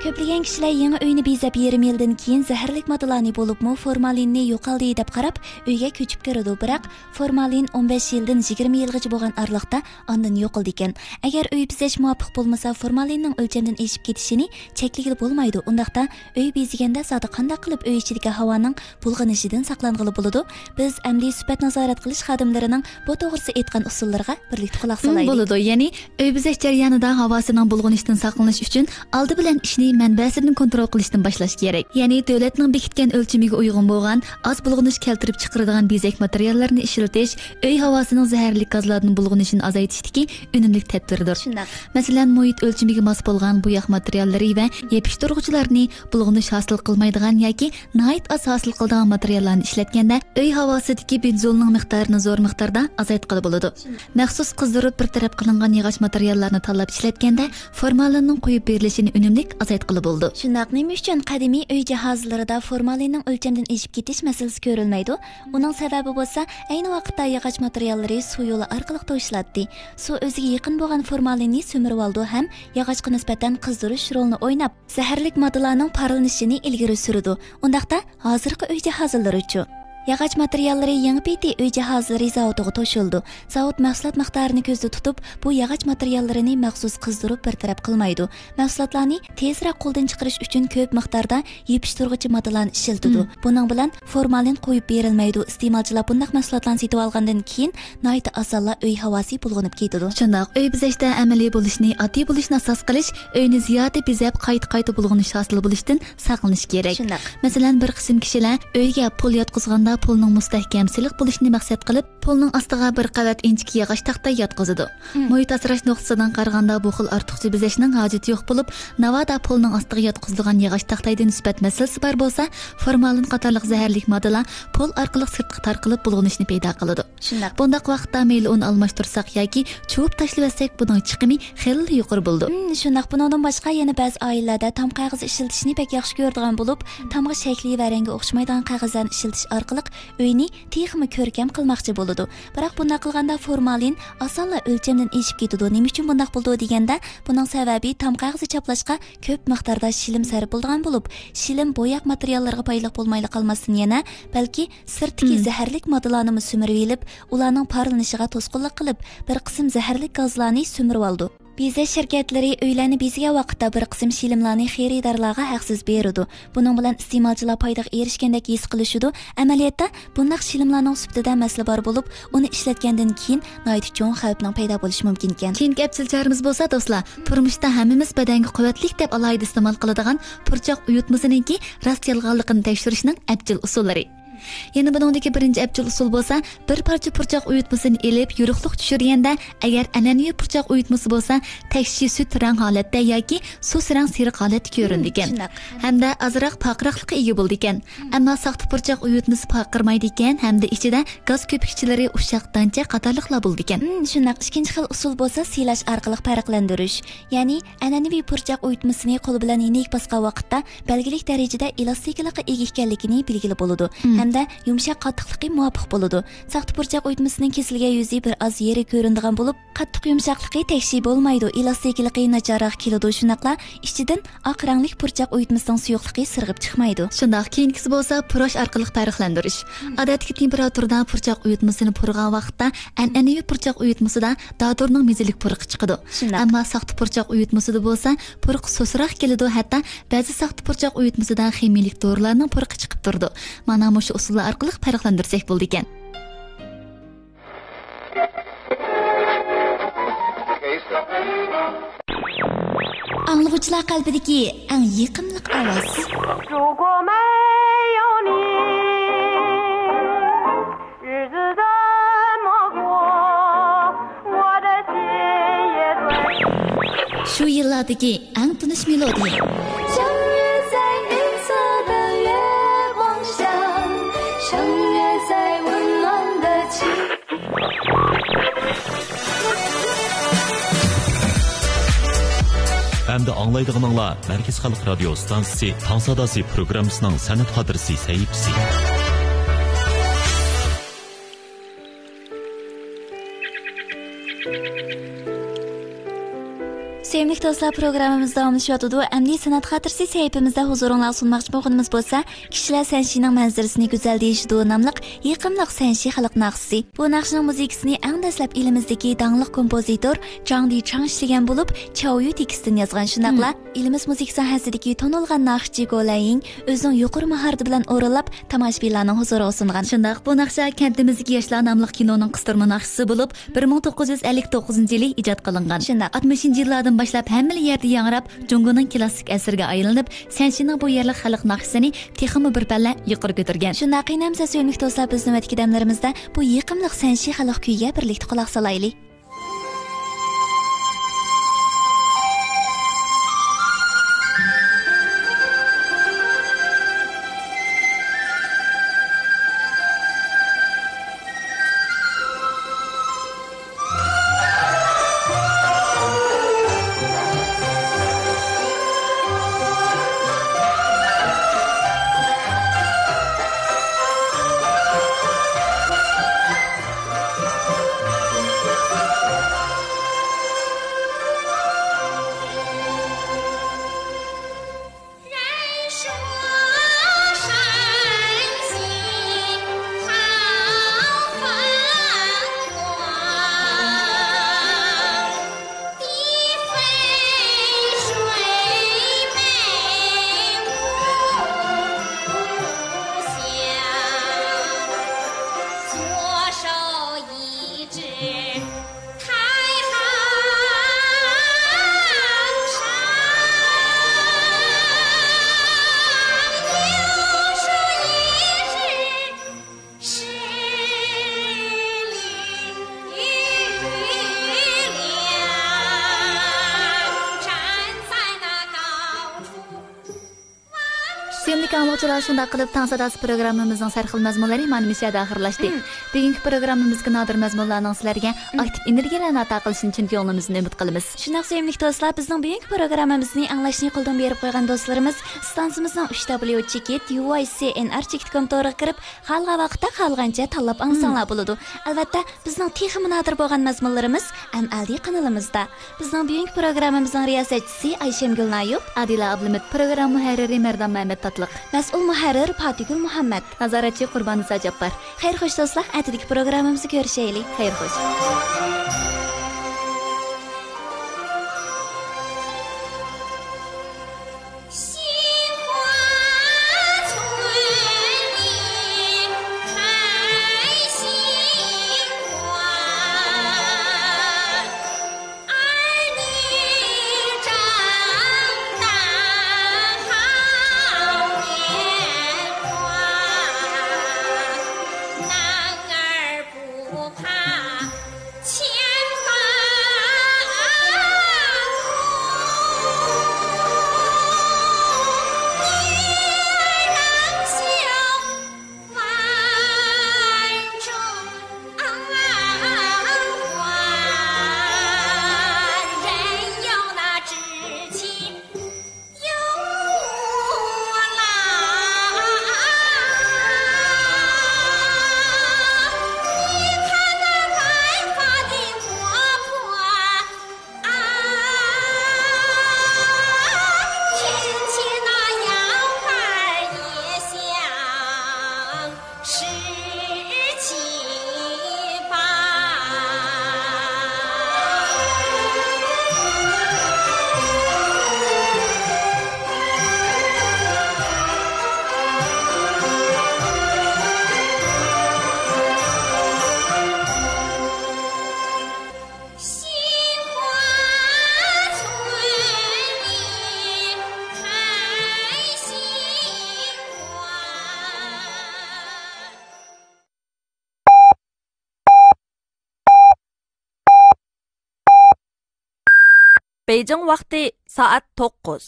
كۆپلىگەن كىشىلەر يېڭى ئۆينى بېزەپ يېرىم يىلدىن كېيىن زەھەرلىك ماددىلارنى، بولۇپمۇ فورمالىننى يوقالدى دەپ قاراپ، ئۆيگە كۆچۈپ كىرىدۇ. بىراق فورمالىن ئون بەش يىلدىن يىگىرمە يىلغىچە بولغان ئارىلىقتا ئاندىن يوقىلىدىكەن. ئەگەر ئۆي بېزەش مۇۋاپىق بولمىسا، فورمالىننىڭ ئۆلچەمدىن ئېشىپ كېتىشىنى چەكلىگىلى بولمايدۇ. ئۇنداقتا ئۆي بېزىگەندە زادى قانداق قىلىپ ئۆي ئىچىدىكى ھاۋانىڭ بۇلغىنىشىدىن ساقلانغىلى بولىدۇ؟ بىز ئەمدى سۈپەت نازارەت قىلىش خادىملىرىنىڭ بۇ توغرىسىدا ئېيتقان ئۇسۇللىرىغا بىرلىكتە قۇلاق مم، سالايلى. بولىدۇ. يەنى ئۆي بېزەش جەريانىدا ھاۋاسىنىڭ بۇلغىنىشتىن ساقلىنىش ئۈچۈن ئالدى بىلەن ئىشنى مەنبەسىدىن كونترول قىلىشتىن باشلاش كېرەك. يەنى دۆلەتنىڭ بېكىتكەن ئۆلچىمىگە ئۇيغۇن بولغان، ئاز بۇلغىنىش كەلتۈرۈپ چىقىرىدىغان بېزەك ماتېرىياللىرىنى ئىشلىتىش ئۆي ھاۋاسىنىڭ زەھەرلىك گازلاردىن بۇلغىنىشىنى ئازايتىشتىكى ئۈنۈملۈك تەدبىردۇر. شۇنداق. مەسىلەن، مۇھىت ئۆلچىمىگە ماس بولغان بوياق ماتېرىياللىرى ۋە يېپىشتۇرغۇچىلارنى، بۇلغىنىش ھاسىل قىلمايدىغان ياكى ناھايىتى ئاز ھاسىل قىلىدىغان ماتېرىياللارنى ئىشلەتكەندە، ئۆي ھاۋاسىدىكى بېنزولنىڭ مىقدارىنى زور مىقداردا ئازايتقىلى بولىدۇ. مەخسۇس قىزدۇرۇپ بىر تەرەپ قىلىنغان ياغاچ ماتېرىياللارنى تاللاپ ئىشلەتكەندە، فورمالىننىڭ قويۇپ بېرىلىشىنى ئۈنۈملۈك ئازايتقىلى بولىدۇ. شۇنداق، نېمە ئۈچۈن قەدىمىي ئۆي جاھازلىرىدا فورمالىننىڭ ئۆلچەمدىن ئېشىپ كېتىش مەسىلىسى كۆرۈلمەيدۇ؟ ئۇنىڭ سەۋەبى بولسا، ئەينى ۋاقىتتا ياغاچ ماتېرىياللىرى سۇ يولى ئارقىلىق توشۇلاتتى. سۇ ئۆزىگە يېقىن بولغان فورمالىننى سۈمۈرۈۋالىدۇ ھەم ياغاچقا نىسبەتەن قىزدۇرۇش رولىنى ئويناپ، زەھەرلىك ماددىلارنىڭ پارلىنىشىنى ئىلگىرى سۈرىدۇ. ئۇنداقتا، ھازىرقى ئۆي جاھازلىرىچۇ؟ ياغاچ ماتېرىياللىرى يېڭى پېتى ئۆي جاھازلىرى زاۋۇتىغا توشۇلىدۇ. زاۋۇت مەھسۇلات مىقدارىنى كۆزدە تۇتۇپ، بۇ ياغاچ ماتېرىياللىرىنى مەخسۇس قىزدۇرۇپ بىر تەرەپ قىلمايدۇ. مەھسۇلاتلارنى تېزرەك قولدىن چىقىرىش ئۈچۈن كۆپ مىقداردا يېپىشتۇرغۇچى ماددىلارنى ئىشلىتىدۇ. مم. بۇنىڭ بىلەن فورمالىن قويۇپ بېرىلمەيدۇ. ئىستېمالچىلار بۇنداق مەھسۇلاتلارنى سېتىۋالغاندىن كېيىن ناھايىتى ئاسانلا ئۆي ھاۋاسى بۇلغىنىپ كېتىدۇ. شۇنداق، ئۆي بېزەشتە ئەمەلىي بولۇشنى، ئاددىي بولۇشنى ئاساس قىلىش، ئۆينى زىيادە بېزەپ، قايتا-قايتا بۇلغىنىش ھاسىل بولۇشتىن ساقلىنىش كېرەك. شۇنداق. مەسىلەن، بىر قىسىم كىشىلەر ئۆيگە پول ياتقۇزغاندا پولنىڭ مۇستەھكەم سىلىق بولۇشىنى مەقسەت قىلىپ، پولنىڭ ئاستىغا بىر قەۋەت ئىنچىكە ياغاچ تاختا ياتقۇزىدۇ. مم. مۇھىت ئاسراش نۇقتىسىدىن قارىغاندا، بۇ خىل ئارتۇقچە بېزەشنىڭ ھاجىتى يوق بولۇپ، ناۋادا پولنىڭ ئاستىغا ياتقۇزۇلغان ياغاچ تاختايدا نىسبەت مەسىلىسى بار بولسا، فورمالىن قاتارلىق زەھەرلىك ماددىلار پول ئارقىلىق سىرتقا تارقىلىپ، بۇلغىنىشنى پەيدا قىلىدۇ. شۇنداق. بۇنداق ۋاقىتتا مەيلى ئۇنى ئالماشتۇرساق ياكى چۇۋۇپ تاشلىۋەتسەك، بۇنىڭ چىقىمى خېلىلا يۇقىرى بولىدۇ. مم، شۇنداق. بۇنىڭدىن باشقا يەنە بەزى ئائىلىلەردە تام قەغىزى ئىشلىتىشنى بەك ياخشى كۆرىدىغان بولۇپ، تامغا شەكلى ۋە رەڭگى ئوخشىمايدىغان قەغەزلەرنى ئىشلىتىش ئارقىلىق ئۆينى تېخىمۇ كۆركەم قىلماقچى بولىدۇ. بىراق بۇنداق قىلغاندا فورمالىن ئاسانلا ئۆلچەمدىن ئېشىپ كېتىدۇ. نېمە ئۈچۈن بۇنداق بولىدۇ دېگەندە، بۇنىڭ سەۋەبى تام قەغىزى چاپلاشقا كۆپ مىقداردا شىلىم سەرپ بولىدىغان بولۇپ، شىلىم بوياق ماتېرىياللىرىغا پايدىلىق بولمايلا قالماستىن يەنە، بەلكى سىرتتىكى زەھەرلىك ماددىلارنىمۇ سۈمۈرۈۋېلىپ، ئۇلارنىڭ پارلىنىشىغا توسقۇنلۇق قىلىپ، بىر قىسىم زەھەرلىك گازلارنى سۈمۈرۈۋالىدۇ. بېزەش شىركەتلىرى ئۆيلەرنى بېزىگەن ۋاقىتتا بىر قىسىم شىلىملارنى خېرىدارلارغا ھەقسىز بېرىدۇ. بۇنىڭ بىلەن ئىستېمالچىلار پايدىغا ئېرىشكەندەك ھېس قىلىشىدۇ. ئەمەلىيەتتە، بۇنداق شىلىملارنىڭ سۈپىتىدە مەسىلە بار بولۇپ، ئۇنى ئىشلەتكەندىن كېيىن ناھايىتى چوڭ خەۋپنىڭ پەيدا بولۇشى مۇمكىنكەن. كېيىنكى ئەپچىل چارىمىز بولسا، دوستلار، تۇرمۇشتا ھەممىمىز بەدەنگە قۇۋۋەتلىك دەپ ئالاھىدە ئىستېمال قىلىدىغان پۇرچاق ئۇيۇتمىسىنىڭكى راست يالغانلىقىنى تەكشۈرۈشنىڭ ئەپچىل ئۇسۇللىرى. يەنە بۇنىڭدىكى بىرىنچى ئەپچىل ئۇسۇل بولسا، بىر پارچە پۇرچاق ئۇيۇتمىسىنى ئېلىپ، يورۇقلۇق چۈشۈرگەندە، ئەگەر ئەنئەنىۋى پۇرچاق ئۇيۇتمىسى بولسا، تەكشى سۈت رەڭ ھالەتتە ياكى سۇس رەڭ سېرىق ھالەتتە كۆرۈنىدىكەن. شۇنداق. ھەمدە ئازراق پارقىراقلىققا ئىگە بولىدىكەن. ئەمما ساختا پۇرچاق ئۇيۇتمىسى پارقىرىمايدىكەن ھەمدە ئىچىدە گاز كۆپۈكچىلىرى، ئۇششاق دانچە قاتارلىقلار بولىدىكەن. ھىم، شۇنداق. ئىككىنچى خىل ئۇسۇل بولسا سىيلاش ئارقىلىق پەرقلەندۈرۈش. يەنى ئەنئەنىۋى پۇرچاق ئۇيۇتمىسىنى قول بىلەن يېنىك باسقان ۋاقىتتا بەلگىلىك دەرىجىدە ئېلاستىكىلىققا ئىگە ئىكەنلىكىنى بىلگىلى بولىدۇ ھەمدە يۇمشاق قاتتىقلىقى مۇۋاپىق بولىدۇ. ساختا پۇرچاق ئۇيۇتمىسىنىڭ كېسىلگەن يۈزى بىر ئاز يېرى كۆرۈنىدىغان بولۇپ، قاتتىق يۇمشاقلىقى تەكشى بولمايدۇ، ئېلاستىكىلىقى ناچارراق كېلىدۇ، شۇنداقلا ئىچىدىن ئاق رەڭلىك پۇرچاق ئۇيۇتمىسىنىڭ سۇيۇقلۇقى سىرغىپ چىقمايدۇ. شۇنداق، كېيىنكىسى بولسا پۇراش ئارقىلىق پەرقلەندۈرۈش. ئادەتتىكى تېمپېراتۇرىدا پۇرچاق ئۇيۇتمىسىنى پۇرىغان ۋاقىتتا ئەنئەنىۋى پۇرچاق ئۇيۇتمىسىدا دادۇرنىڭ مېزىلىك پۇرىقى چىقىدۇ. شۇنداق. ئەمما ساختا پۇرچاق ئۇيۇتمىسىدا بولسا پۇرىقى سۇسراق كېلىدۇ، ھەتتا بەزى ساختا پۇرچاق ئۇيۇتمىسىدا خىمىيىلىك دورىلارنىڭ پۇرىقى چىقىپ تۇرىدۇ. مانا مۇشۇ ئۇسۇللار ئارقىلىق پەرقلەندۈرسەك بولىدىكەن. ئاڭلىغۇچىلار قەلبىدىكى ئەڭ يېقىملىق ئاۋاز. 如果没有你，日子怎么过，我的心也会。 شۇ يىللاردىكى ئەڭ تونۇش مېلودىيە. 相约在银色的月光下，相约在温暖的气 ئەمدى ئاڭلايدىغىنىڭلار مەركىزىي خەلق رادىيو ئىستانسىسى تاڭ ساداسى پروگراممىسىنىڭ سەنئەت خاتىرىسى سەھىپىسى. سۆيۈملۈك دوستلار، پروگراممىمىز داۋاملىشىۋاتىدۇ. ئەمدى سەنئەت خاتىرىسى سەھىپىمىزدە ھۇزۇرۇڭلارغا سۇنماقچى بولغىنىمىز بولسا، كىشىلەر سەنشىنىڭ مەنزىرىسىنى گۈزەل دېيىشىدۇ ناملىق يېقىملىق سەنشى خەلق ناخشىسى. بۇ ناخشىنىڭ مۇزىكىسىنى ئەڭ دەسلەپ ئېلىمىزدىكى داڭلىق كومپوزىتور جاڭ دىچاڭ ئىشلىگەن بولۇپ، چاۋيۈ تېكىستىنى يازغان. شۇنداقلا ئېلىمىز مۇزىكا ساھەسىدىكى تونۇلغان ناخشىچى گو لەيىڭ ئۆزىنىڭ يۇقىرى ماھارىتى بىلەن ئورۇنلاپ، تاماشىبىنلارنىڭ ھۇزۇرىغا سۇنغان. شۇنداق، بۇ ناخشا كەنتىمىزدىكى ياشلار ناملىق كىنونىڭ قىستۇرما ناخشىسى بولۇپ، بىر مىڭ توققۇز يۈز ئەللىك توققۇزىنچى يىلى ئىجاد قىلىنغان. شۇنداق. ئاتمىشىنچى يىللاردىن باشلاپ ھەممىلا يەردە ياڭراپ، جۇڭگونىڭ كلاسسىك ئەسىرىگە ئايلىنىپ، سەنشىنىڭ بۇ يەرلىك خەلق ناخشىسىنى تېخىمۇ بىر پەللە يۇقىرى كۆتۈرگەن. شۇنداق، قېنى ئەمىسە سۆيۈملۈك دوستلار، بىز نۆۋەتتىكى دەملىرىمىزدە بۇ يېقىملىق سەنشى خەلق كۈيىگە بىرلىكتە قۇلاق سالايلى. ئاڭلىغۇچىلار، شۇنداق قىلىپ، تاڭ ساداسى پروگراممىمىزنىڭ سەرخىل مەزمۇنلىرى مانا مۇشۇ يەردە ئاخىرلاشتى. مم. بۈگۈنكى پروگراممىمىزدىكى نادىر مەزمۇنلارنىڭ سىلەرگە مم. ئاكتىپ ئېنېرگىيەلەرنى ئاتا قىلىشىنى چىن كۆڭلىمىزدىن ئۈمىد قىلىمىز. شۇنداق سۆيۈملۈك دوستلار، بىزنىڭ بۈگۈنكى پروگراممىمىزنى ئاڭلاشنى قولدىن بېرىپ قويغان دوستلىرىمىز ئىستانسىمىزنىڭ ئۈچ دبليۇ چېكىت يۇ ۋاي سى ئېن ئار چېكىت كوم تورىغا كىرىپ، خالىغان ۋاقىتتا، خالىغانچە تاللاپ ئاڭلىساڭلار بولىدۇ. ئەلۋەتتە، بىزنىڭ تېخىمۇ نادىر بولغان مەزمۇنلىرىمىز ئەم ئەل دى قانىلىمىزدا. بىزنىڭ بۈگۈنكى پروگراممىمىزنىڭ رىياسەتچىسى ئايشەمگۈل نايۇپ. ئادىلە ئابلىمىت، پروگرامما مۇھەررىرى مەردان مەمەت تاتلىق. مەسئۇل مۇھەررىر پاتىگۈل مۇھەممەت. نازارەتچى قۇرباننىسا جاپپار. خەير خوش دوستلار، ئەتىدىكى پروگراممىمىزدا كۆرۈشەيلى. خەير خوش. بېيجىڭ ۋاقتى سائەت توققۇز.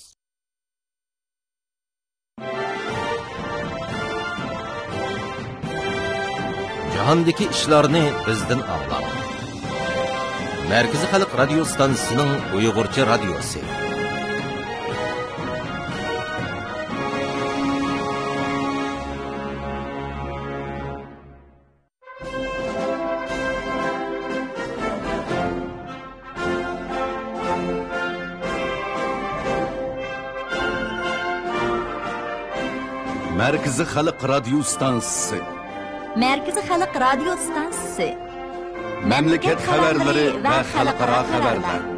جاھاندىكى ئىشلارنى بىزدىن ئاڭلاڭ. مەركىزىي خەلق رادىيو ستانسىسىنىڭ ئۇيغۇرچە رادىيوسى. مەركىزىي خەلق رادىيو ستانسىسى. مەركىزىي خەلق رادىيو ستانسىسى. مەملىكەت خەۋەرلىرى ۋە خەلقئارا خەۋەرلەر.